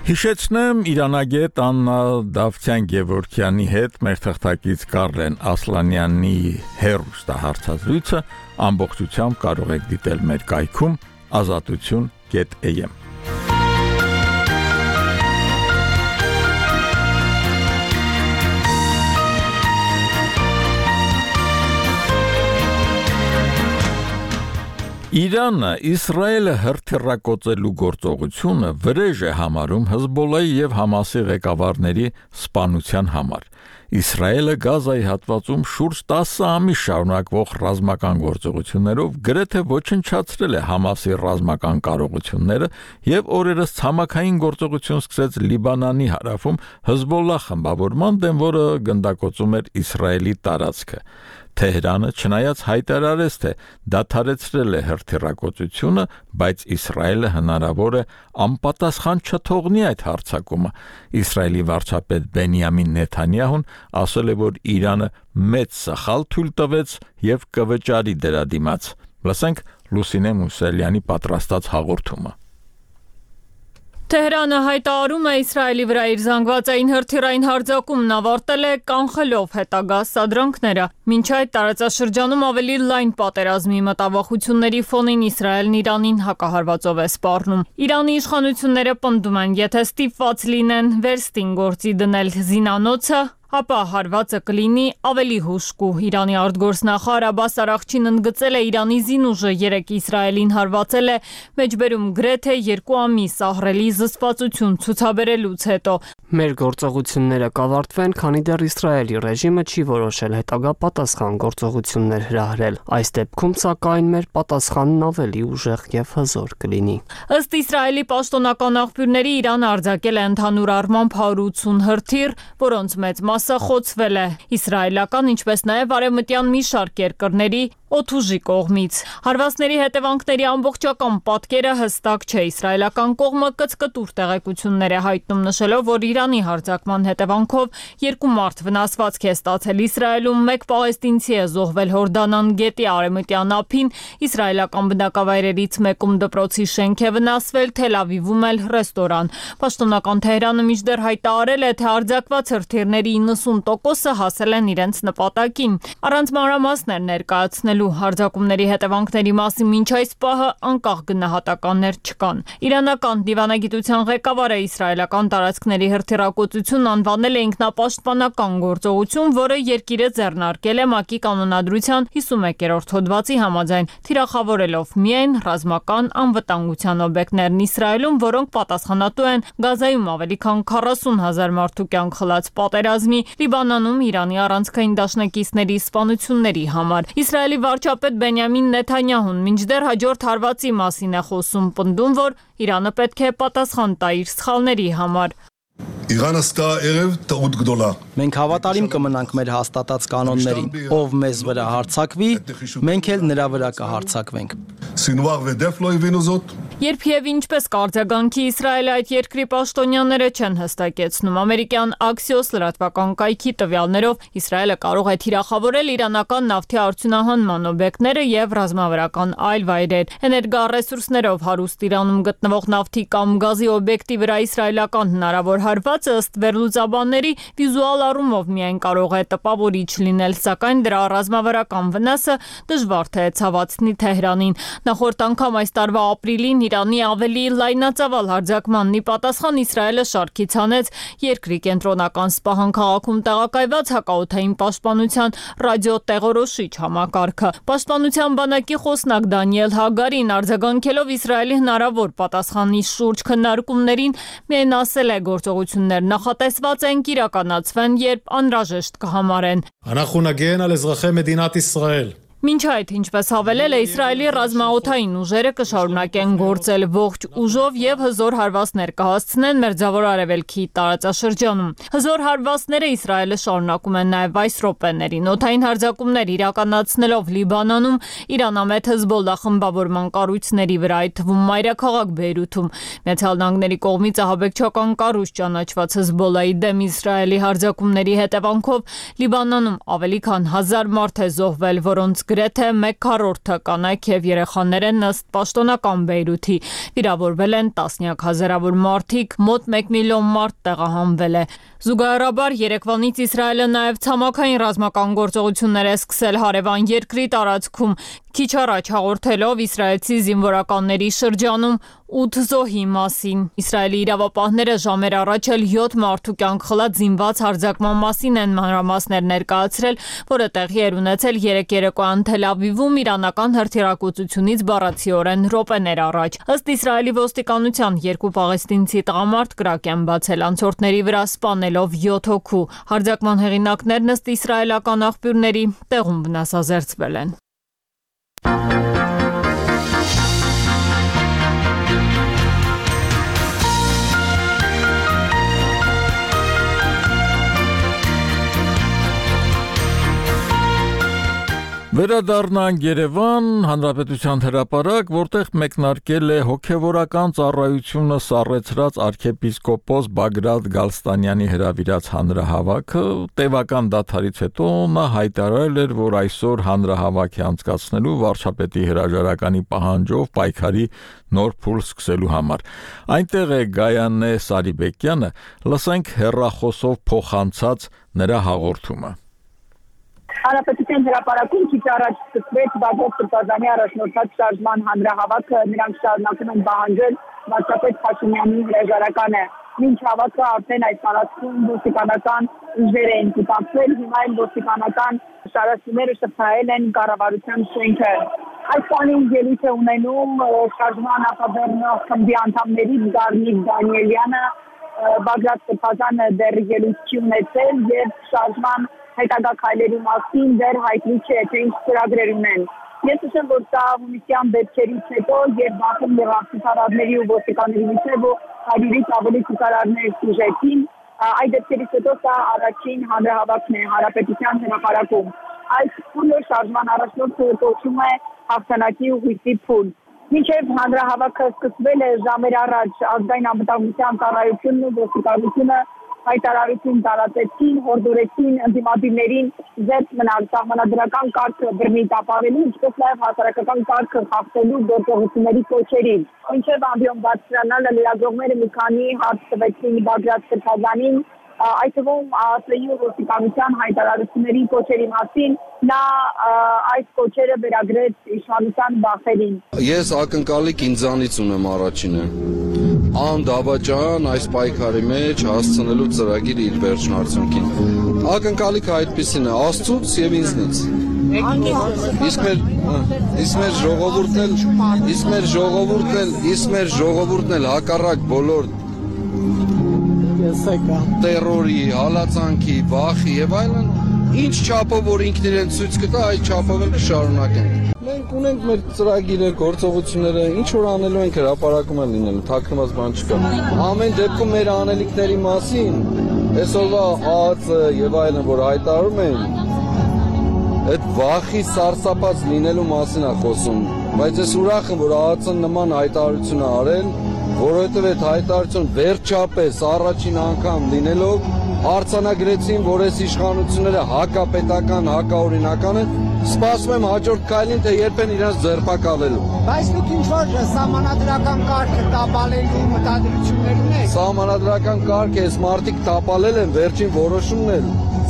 Հիշեցնեմ իրանագետ Աննա Դավթյան-Գևորգյանի հետ մեր թղթակից Կարլեն Ասլանյանի հեռուստահարցազրույցը ամբողջությամբ կարող եք դիտել մեր կայքում azatutun.am Իրանը Իսրայելը հրթիռակոծելու գործողությունը վրեժ է համարում Հեզբոլլայի եւ Համասի ղեկավարների սպանության համար։ Իսրայելը Գազայի հատվածում շուրջ 10 ամիս շարունակվող ռազմական գործողություններով գրեթե ոչնչացրել է Համասի ռազմական կարողությունները եւ օրերս ցամաքային գործողություն սկսեց Լիբանանի հարավում Հեզբոլլա խմբավորման դեմ, որը գնդակոծում էր Իսրայելի տարածքը։ Թեհրանը չնայած հայտարարեց, թե դադարեցրել է հրթիռակոծությունը, բայց Իսրայելը հնարավոր է անպատասխան չթողնի այդ հարձակումը։ Իսրայելի վարչապետ Բենյամին Նեթանյահուն ասել է, որ Իրանը մեծ սխալ թույլ տվեց եւ կվճարի դրա դիմաց։ Լսենք Լուսինե Մուսելյանի պատրաստած հաղորդումը։ Թեհրանը հայտարարում է Իսրայելի վրա իր զանգվածային հրթիռային հարձակումն ավարտել է կանխելով հետագա սադրանքները։ Մինչ այդ տարածաշրջանում ավելի լայն պատերազմի մտավախությունների ֆոնին Իսրայելն Իրանին հակահարվածով է սպառնում։ Իրանի իշխանությունները պնդում են, եթե ստիպված լինեն վերստին գործի դնել զինանոցը, ապա հարվածը կլինի ավելի հուժկու։ Իրանի արտգործնախարար Աբբաս Արաղչին ընդգծել է Իրանի զինուժը 3 Իսրայելին հարվածել է մեջբերում գրեթե 2 ամիս ահռելի զսպվածություն ցուցաբերելուց հետո։ Մեր գործողությունները կավարտվեն, քանի դեռ Իսրայելի ռեժիմը չի որոշել հետագա պատասխան գործողություններ հրահրել։ Այս դեպքում սակայն մեր պատասխանն ավելի ուժեղ եւ հզոր կլինի։ Ըստ Իսրայելի պաշտոնական աղբյուրների Իրանը արձակել է ընդհանուր առմամբ 180 հրթիռ, որոնց մեծ մասը խոցվել է իսրայելական, ինչպես նաև արևմտյան մի շարք երկրների օդուժի կողմից։ Հարվածների հետևանքների ամբողջական պատկերը հստակ չէ։ Իսրայելական կողմը կծկտուր տեղեկություններ է հայտնում, նշելով, որ Իրանի հարձակման հետևանքով 2 մարդ վնասվածք է ստացել Իսրայելում, 1 պաղեստինցի է զոհվել Հորդանան գետի արևմտյան ափին, իսրայելական բնակավայրերից մեկում դպրոցի շենք է վնասվել, Թել Ավիվում էլ ռեստորան։ Պաշտոնական Թեհրանը մինչդեռ հայտարարել է, թե արձակված հրթիռների 90%-ը հասել են իրենց նպատակին։ Առանց մանրամասներ ներկայացնելու հարձակումների հետևանքների մասին մինչ այս պահը անկախ գնահատականներ չկան։ Իրանական դիվանագիտության ղեկավարը իսրայելական տարածքների հրթիռակոծությունն անվանել է ինքնապաշտպանական գործողություն, որը երկիրը ձեռնարկել է ՄԱԿ-ի կանոնադրության 51-րդ հոդվածի համաձայն, թիրախավորելով միայն ռազմական անվտանգության օբյեկտներն Իսրայելում, որոնք պատասխանատու են Գազայում ավելի քան 40,000 մարդու կյանք խլած պատերազմի, Լիբանանում Իրանի առանցքային դաշնակիցների սպանությունների համար։ Իսրայելի վարչապետ Բենյամին Նեթանյահուն մինչդեռ հաջորդ հարվածի մասին է խոսում, պնդում, որ Իրանը պետք է պատասխան տա իր սխալների համար։ Իրանը ստա երև տעות գդոլա։ Մենք հավատարիմ կմնանք մեր հաստատած կանոններին։ Ով մեզ վրա հարձակվի, մենք էլ նրա վրա կհարձակվենք։ Սինուար վեդեֆ լոյվինուզոտ։ Երբ եւ ինչպես կարձագանքի Իսրայելը այդ երկրի պաշտոնյաները չեն հստակեցնում։ Ամերիկյան Axios լրատվական կայքի տվյալներով Իսրայելը կարող է թիրախավորել իրանական նավթի արդյունահանման օբյեկտները եւ ռազմավարական այլ վայրեր։ Էներգառեսուրսներով հարուստ Իրանում գտնվող նավթի կամ գազի օբյեկտի վրա իսրայելական հնարավոր հարվածը ըստ վերլուծաբանների վիզուալ առումով միայն կարող է տպավորիչ լինել, սակայն դրա ռազմավարական վնասը դժվար թե ցավացնի Թեհրանին։ Նախորդ անգամ այս տարվա ապրիլին Իրանի ավելի լայնածավալ հարձակմանն ի պատասխան Իսրայելը շարքից հանեց երկրի կենտրոնական Սպահան քաղաքում տեղակայված հակաօդային պաշտպանության ռադիոտեղորոշիչ համակարգը։ Պաշտպանության բանակի խոսնակ Դանիել Հագարին արձագանքելով Իսրայելի հնարավոր պատասխանի շուրջ քննարկումներին միայն ասել է գործողություններ նախատեսված են կիրականացվեն, երբ անհրաժեշտ կհամարեն։ אנחנו נגן על אזרחי מדינת ישראל. Մինչ այդ, ինչպես հավելել է, Իսրայելի ռազմաօդային ուժերը կշարունակեն գործել ողջ ուժով եւ հզոր հարվածներ կհասցնեն Մերձավոր Արևելքի տարածաշրջանում։ Հզոր հարվածները Իսրայելը շարունակում են նաեւ այս րոպեներին։ Օդային հարձակումներ իրականացնելով Լիբանանում, Իրանամետ Հեզբոլլա խմբավորման կառույցների վրա, այդ թվում մայրաքաղաք Բեյրութում։ Միացյալ Նահանգների կողմից ահաբեկչական կառույց ճանաչված Հեզբոլլայի դեմ Իսրայելի հարձակումների հետևանքով Լիբանանում ավելի քան 1000 մարդ է զոհվել, որոնց գրեթե 1/4-ը կանայք եւ երեխաներ են ըստ պաշտոնական Բեյրութի։ Վիրավորվել են տասնյակ հազարավոր մարդիկ, մոտ 1 միլիոն մարդ տեղահանվել է։ Զուգահեռաբար երեկվանից Իսրայելը նաեւ ցամաքային ռազմական գործողություններ է սկսել հարևան երկրի տարածքում, քիչ առաջ հաղորդելով իսրայելցի զինվորականների շրջանում 8 զոհի մասին։ Իսրայելի իրավապահները ժամեր առաջ էլ 7 մարդու կյանք խլած զինված հարձակման մասին են մանրամասներ ներկայացրել, որը տեղի էր ունեցել 3 երեկոյան Թել Ավիվում իրանական հրթիռակոծությունից բառացիորեն րոպեներ առաջ։ Ըստ Իսրայելի ոստիկանության 2 պաղեստինցի տղամարդ կրակ են բացել անցորդների վրա սպանելով 7 հոգու։ Հարձակման հեղինակներն ըստ իսրայելական աղբյուրների տեղում վնասազերծվել են։ Վերադառնանք Երևան, Հանրապետության հրապարակ, որտեղ մեկնարկել է հոգևորական ծառայությունը սառեցրած arczepiskopos Բագրատ Գալստանյանի հրավիրած հանրահավաքը, տևական դադարից հետո նա հայտարարել էր, որ այսօր հանրահավաք է անցկացնելու վարչապետի հրաժարականի պահանջով պայքարի նոր փուլ սկսելու համար։ Այնտեղ է Գայանե Սարիբեկյանը, լսենք հեռախոսով փոխանցած նրա հաղորդումը։ Հանրապետության հրապարակում քիչ առաջ սկսվեց Բագրատ Սրբազանի առաջնորդած շարժման հանրահավաքը, նրանք շարունակում են պահանջել վարչապետ Փաշինյանի հրաժարականը։ Մինչ հավաքը արդեն այս տարածքում ոստիկանական ուժեր են կուտակվել, հիմա էլ ոստիկանական շարժումները շփթայել են կառավարության շենքը։ Այս բանին ելույթ է ունենում շարժման նախաբեռն խմբի անդամներից Գառնիկ Դանիելյանը, Բագրատ Սրբազանը դեռ ելույթ չի ունեցել եւ շարժման հետագա քայլերի մասին դեռ հայտնի չէ, թե ինչ ծրագրեր ունեն։ Ես նշեմ, որ սա հունիսյան դեպքերից հետո, երբ Բաքվում եղավ ցուցարարների ու ոստիկանների միջև 100-ից ավելի ցուցարարներ սուժեցին, այդ դեպքերից հետո սա առաջին հանրահավաքն է Հանրապետության հրապարակում։ Այս փուլը շարժման առաջնորդը կոչում է հաղթանակի ու հույսի փուլ։ Մինչև հանրահավաքը սկսվել է ժամեր առաջ ազգային անվտանգության ծառայությունն ու ոստիկանությունը հայտարարություն տարածեցին, հորդորեցին ընդդիմադիրներին զերծ մնալ սահմանադրական կարգը բռնի տապալելու, ինչպես նաև հասարակական կարգը խախտելու գործողությունների կոչերին։ Մինչև ամբիոն բարձրանալը լրագրողները մի քանի հարց տվեցին Բագրատ Սրբազանին, այդ թվում ԱԱՍ-ի ու ոստիկանության հայտարարությունների կոչերի մասին, նա այս կոչերը վերագրեց իշխանության բախերին։ Ես ակնկալիք ինձանից ունեմ առաջինը։ Անդավաճան այս պայքարի մեջ հասցնելու ծրագիր իր վերջն արդյունքին։ Ակնկալիքը այդպեսին է Աստծուց եւ ինձնից։ Իսկ մեր ժողովուրդն էլ հակառակ բոլոր տերորի, հալածանքի, վախի եւ այլն, ինչ չափով որ ինքն իրեն ցույց կտա, այդ չափով էլ կշարունակեն։ Մենք ունենք մեր ծրագիրը, գործողությունները, ինչ որ անելու ենք հրապարակում են լինելու, թաքնված բան չկա։ Ամեն դեպքում մեր անելիքների մասին, այսօրվա ԱԱԾ եւ այլն որ հայտարարում են, այդ վախի սարսափած լինելու մասին է խոսում, բայց ես ուրախ եմ որ ԱԱԾ-ն նման հայտարարություն է արել, որովհետև այդ հայտարարություն վերջապես առաջին անգամ լինելով արձանագրեցին, որ այս իշխանությունները հակապետական, հակաօրինական են, սպասում եմ հաջորդ քայլին, թե երբ են իրենց ձերբակալելու։ Բայց դուք ինչ-որ սահմանադրական կարգը տապալելու մտադրություններ ունեք։ Սահմանադրական կարգը այս մարդիկ տապալել են, վերջին որոշումն էլ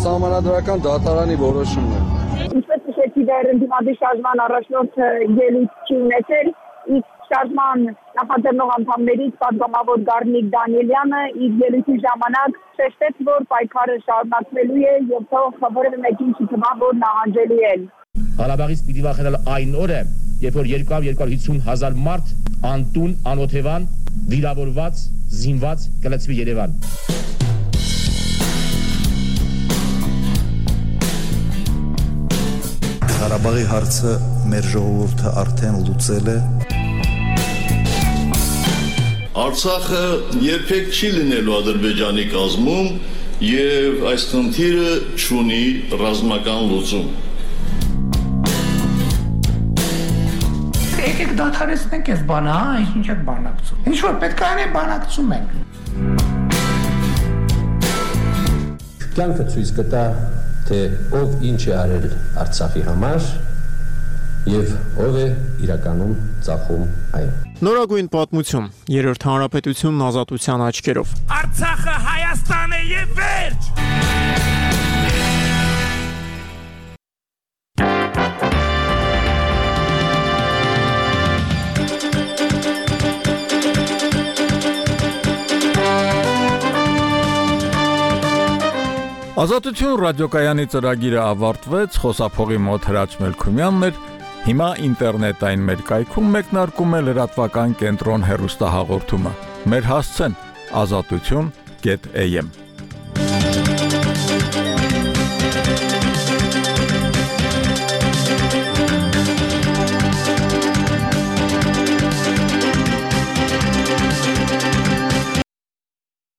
սահմանադրական դատարանի որոշումն է։ Ինչպես նշեցի, դեռ ընդդիմադիր շարժման առաջնորդը ելույթ չի ունեցել, իսկ շարժման նախաձեռնող անդամներից պատգամավոր Գառնիկ Դանիելյանը իր ելույթի ժամանակ շեշտեց, որ պայքարը շարունակվելու է եւ թող որևէ մեկին չթվա, որ նահանջելու են։ Ղարաբաղից պիտի վախենալ այն օրը, երբ որ 250,000 մարդ անտուն, անօթևան, վիրավորված, զինված կլցվի Երևան։ Ղարաբաղի հարցը մեր ժողովուրդը արդեն լուծել է։ Արցախը երբեք չի լինելու Ադրբեջանի կազմում եւ այս խնդիրը չունի ռազմական լուծում։ Եկեք դադարեցնենք այս բանը, ինչ եք բանակցում։ Ինչ որ պետք է անենք, բանակցում ենք։ Կյանքը ցույց կտա, թե ով ինչ է արել Արցախի համար եւ ով է իրականում ծախում այն։ Նորագույն պատմություն, Երրորդ հանրապետությունն ազատության աչքերով։ Արցախը Հայաստան է եւ վերջ։ Ազատություն ռադիոկայանի ծրագիրը ավարտվեց, խոսափողի մոտ Հրաչ Մելքումյանն էր, հիմա ինտերնետային մեր կայքում մեկնարկում է լրատվական կենտրոն հեռուստահաղորդումը։ Մեր հասցեն azatutyon.am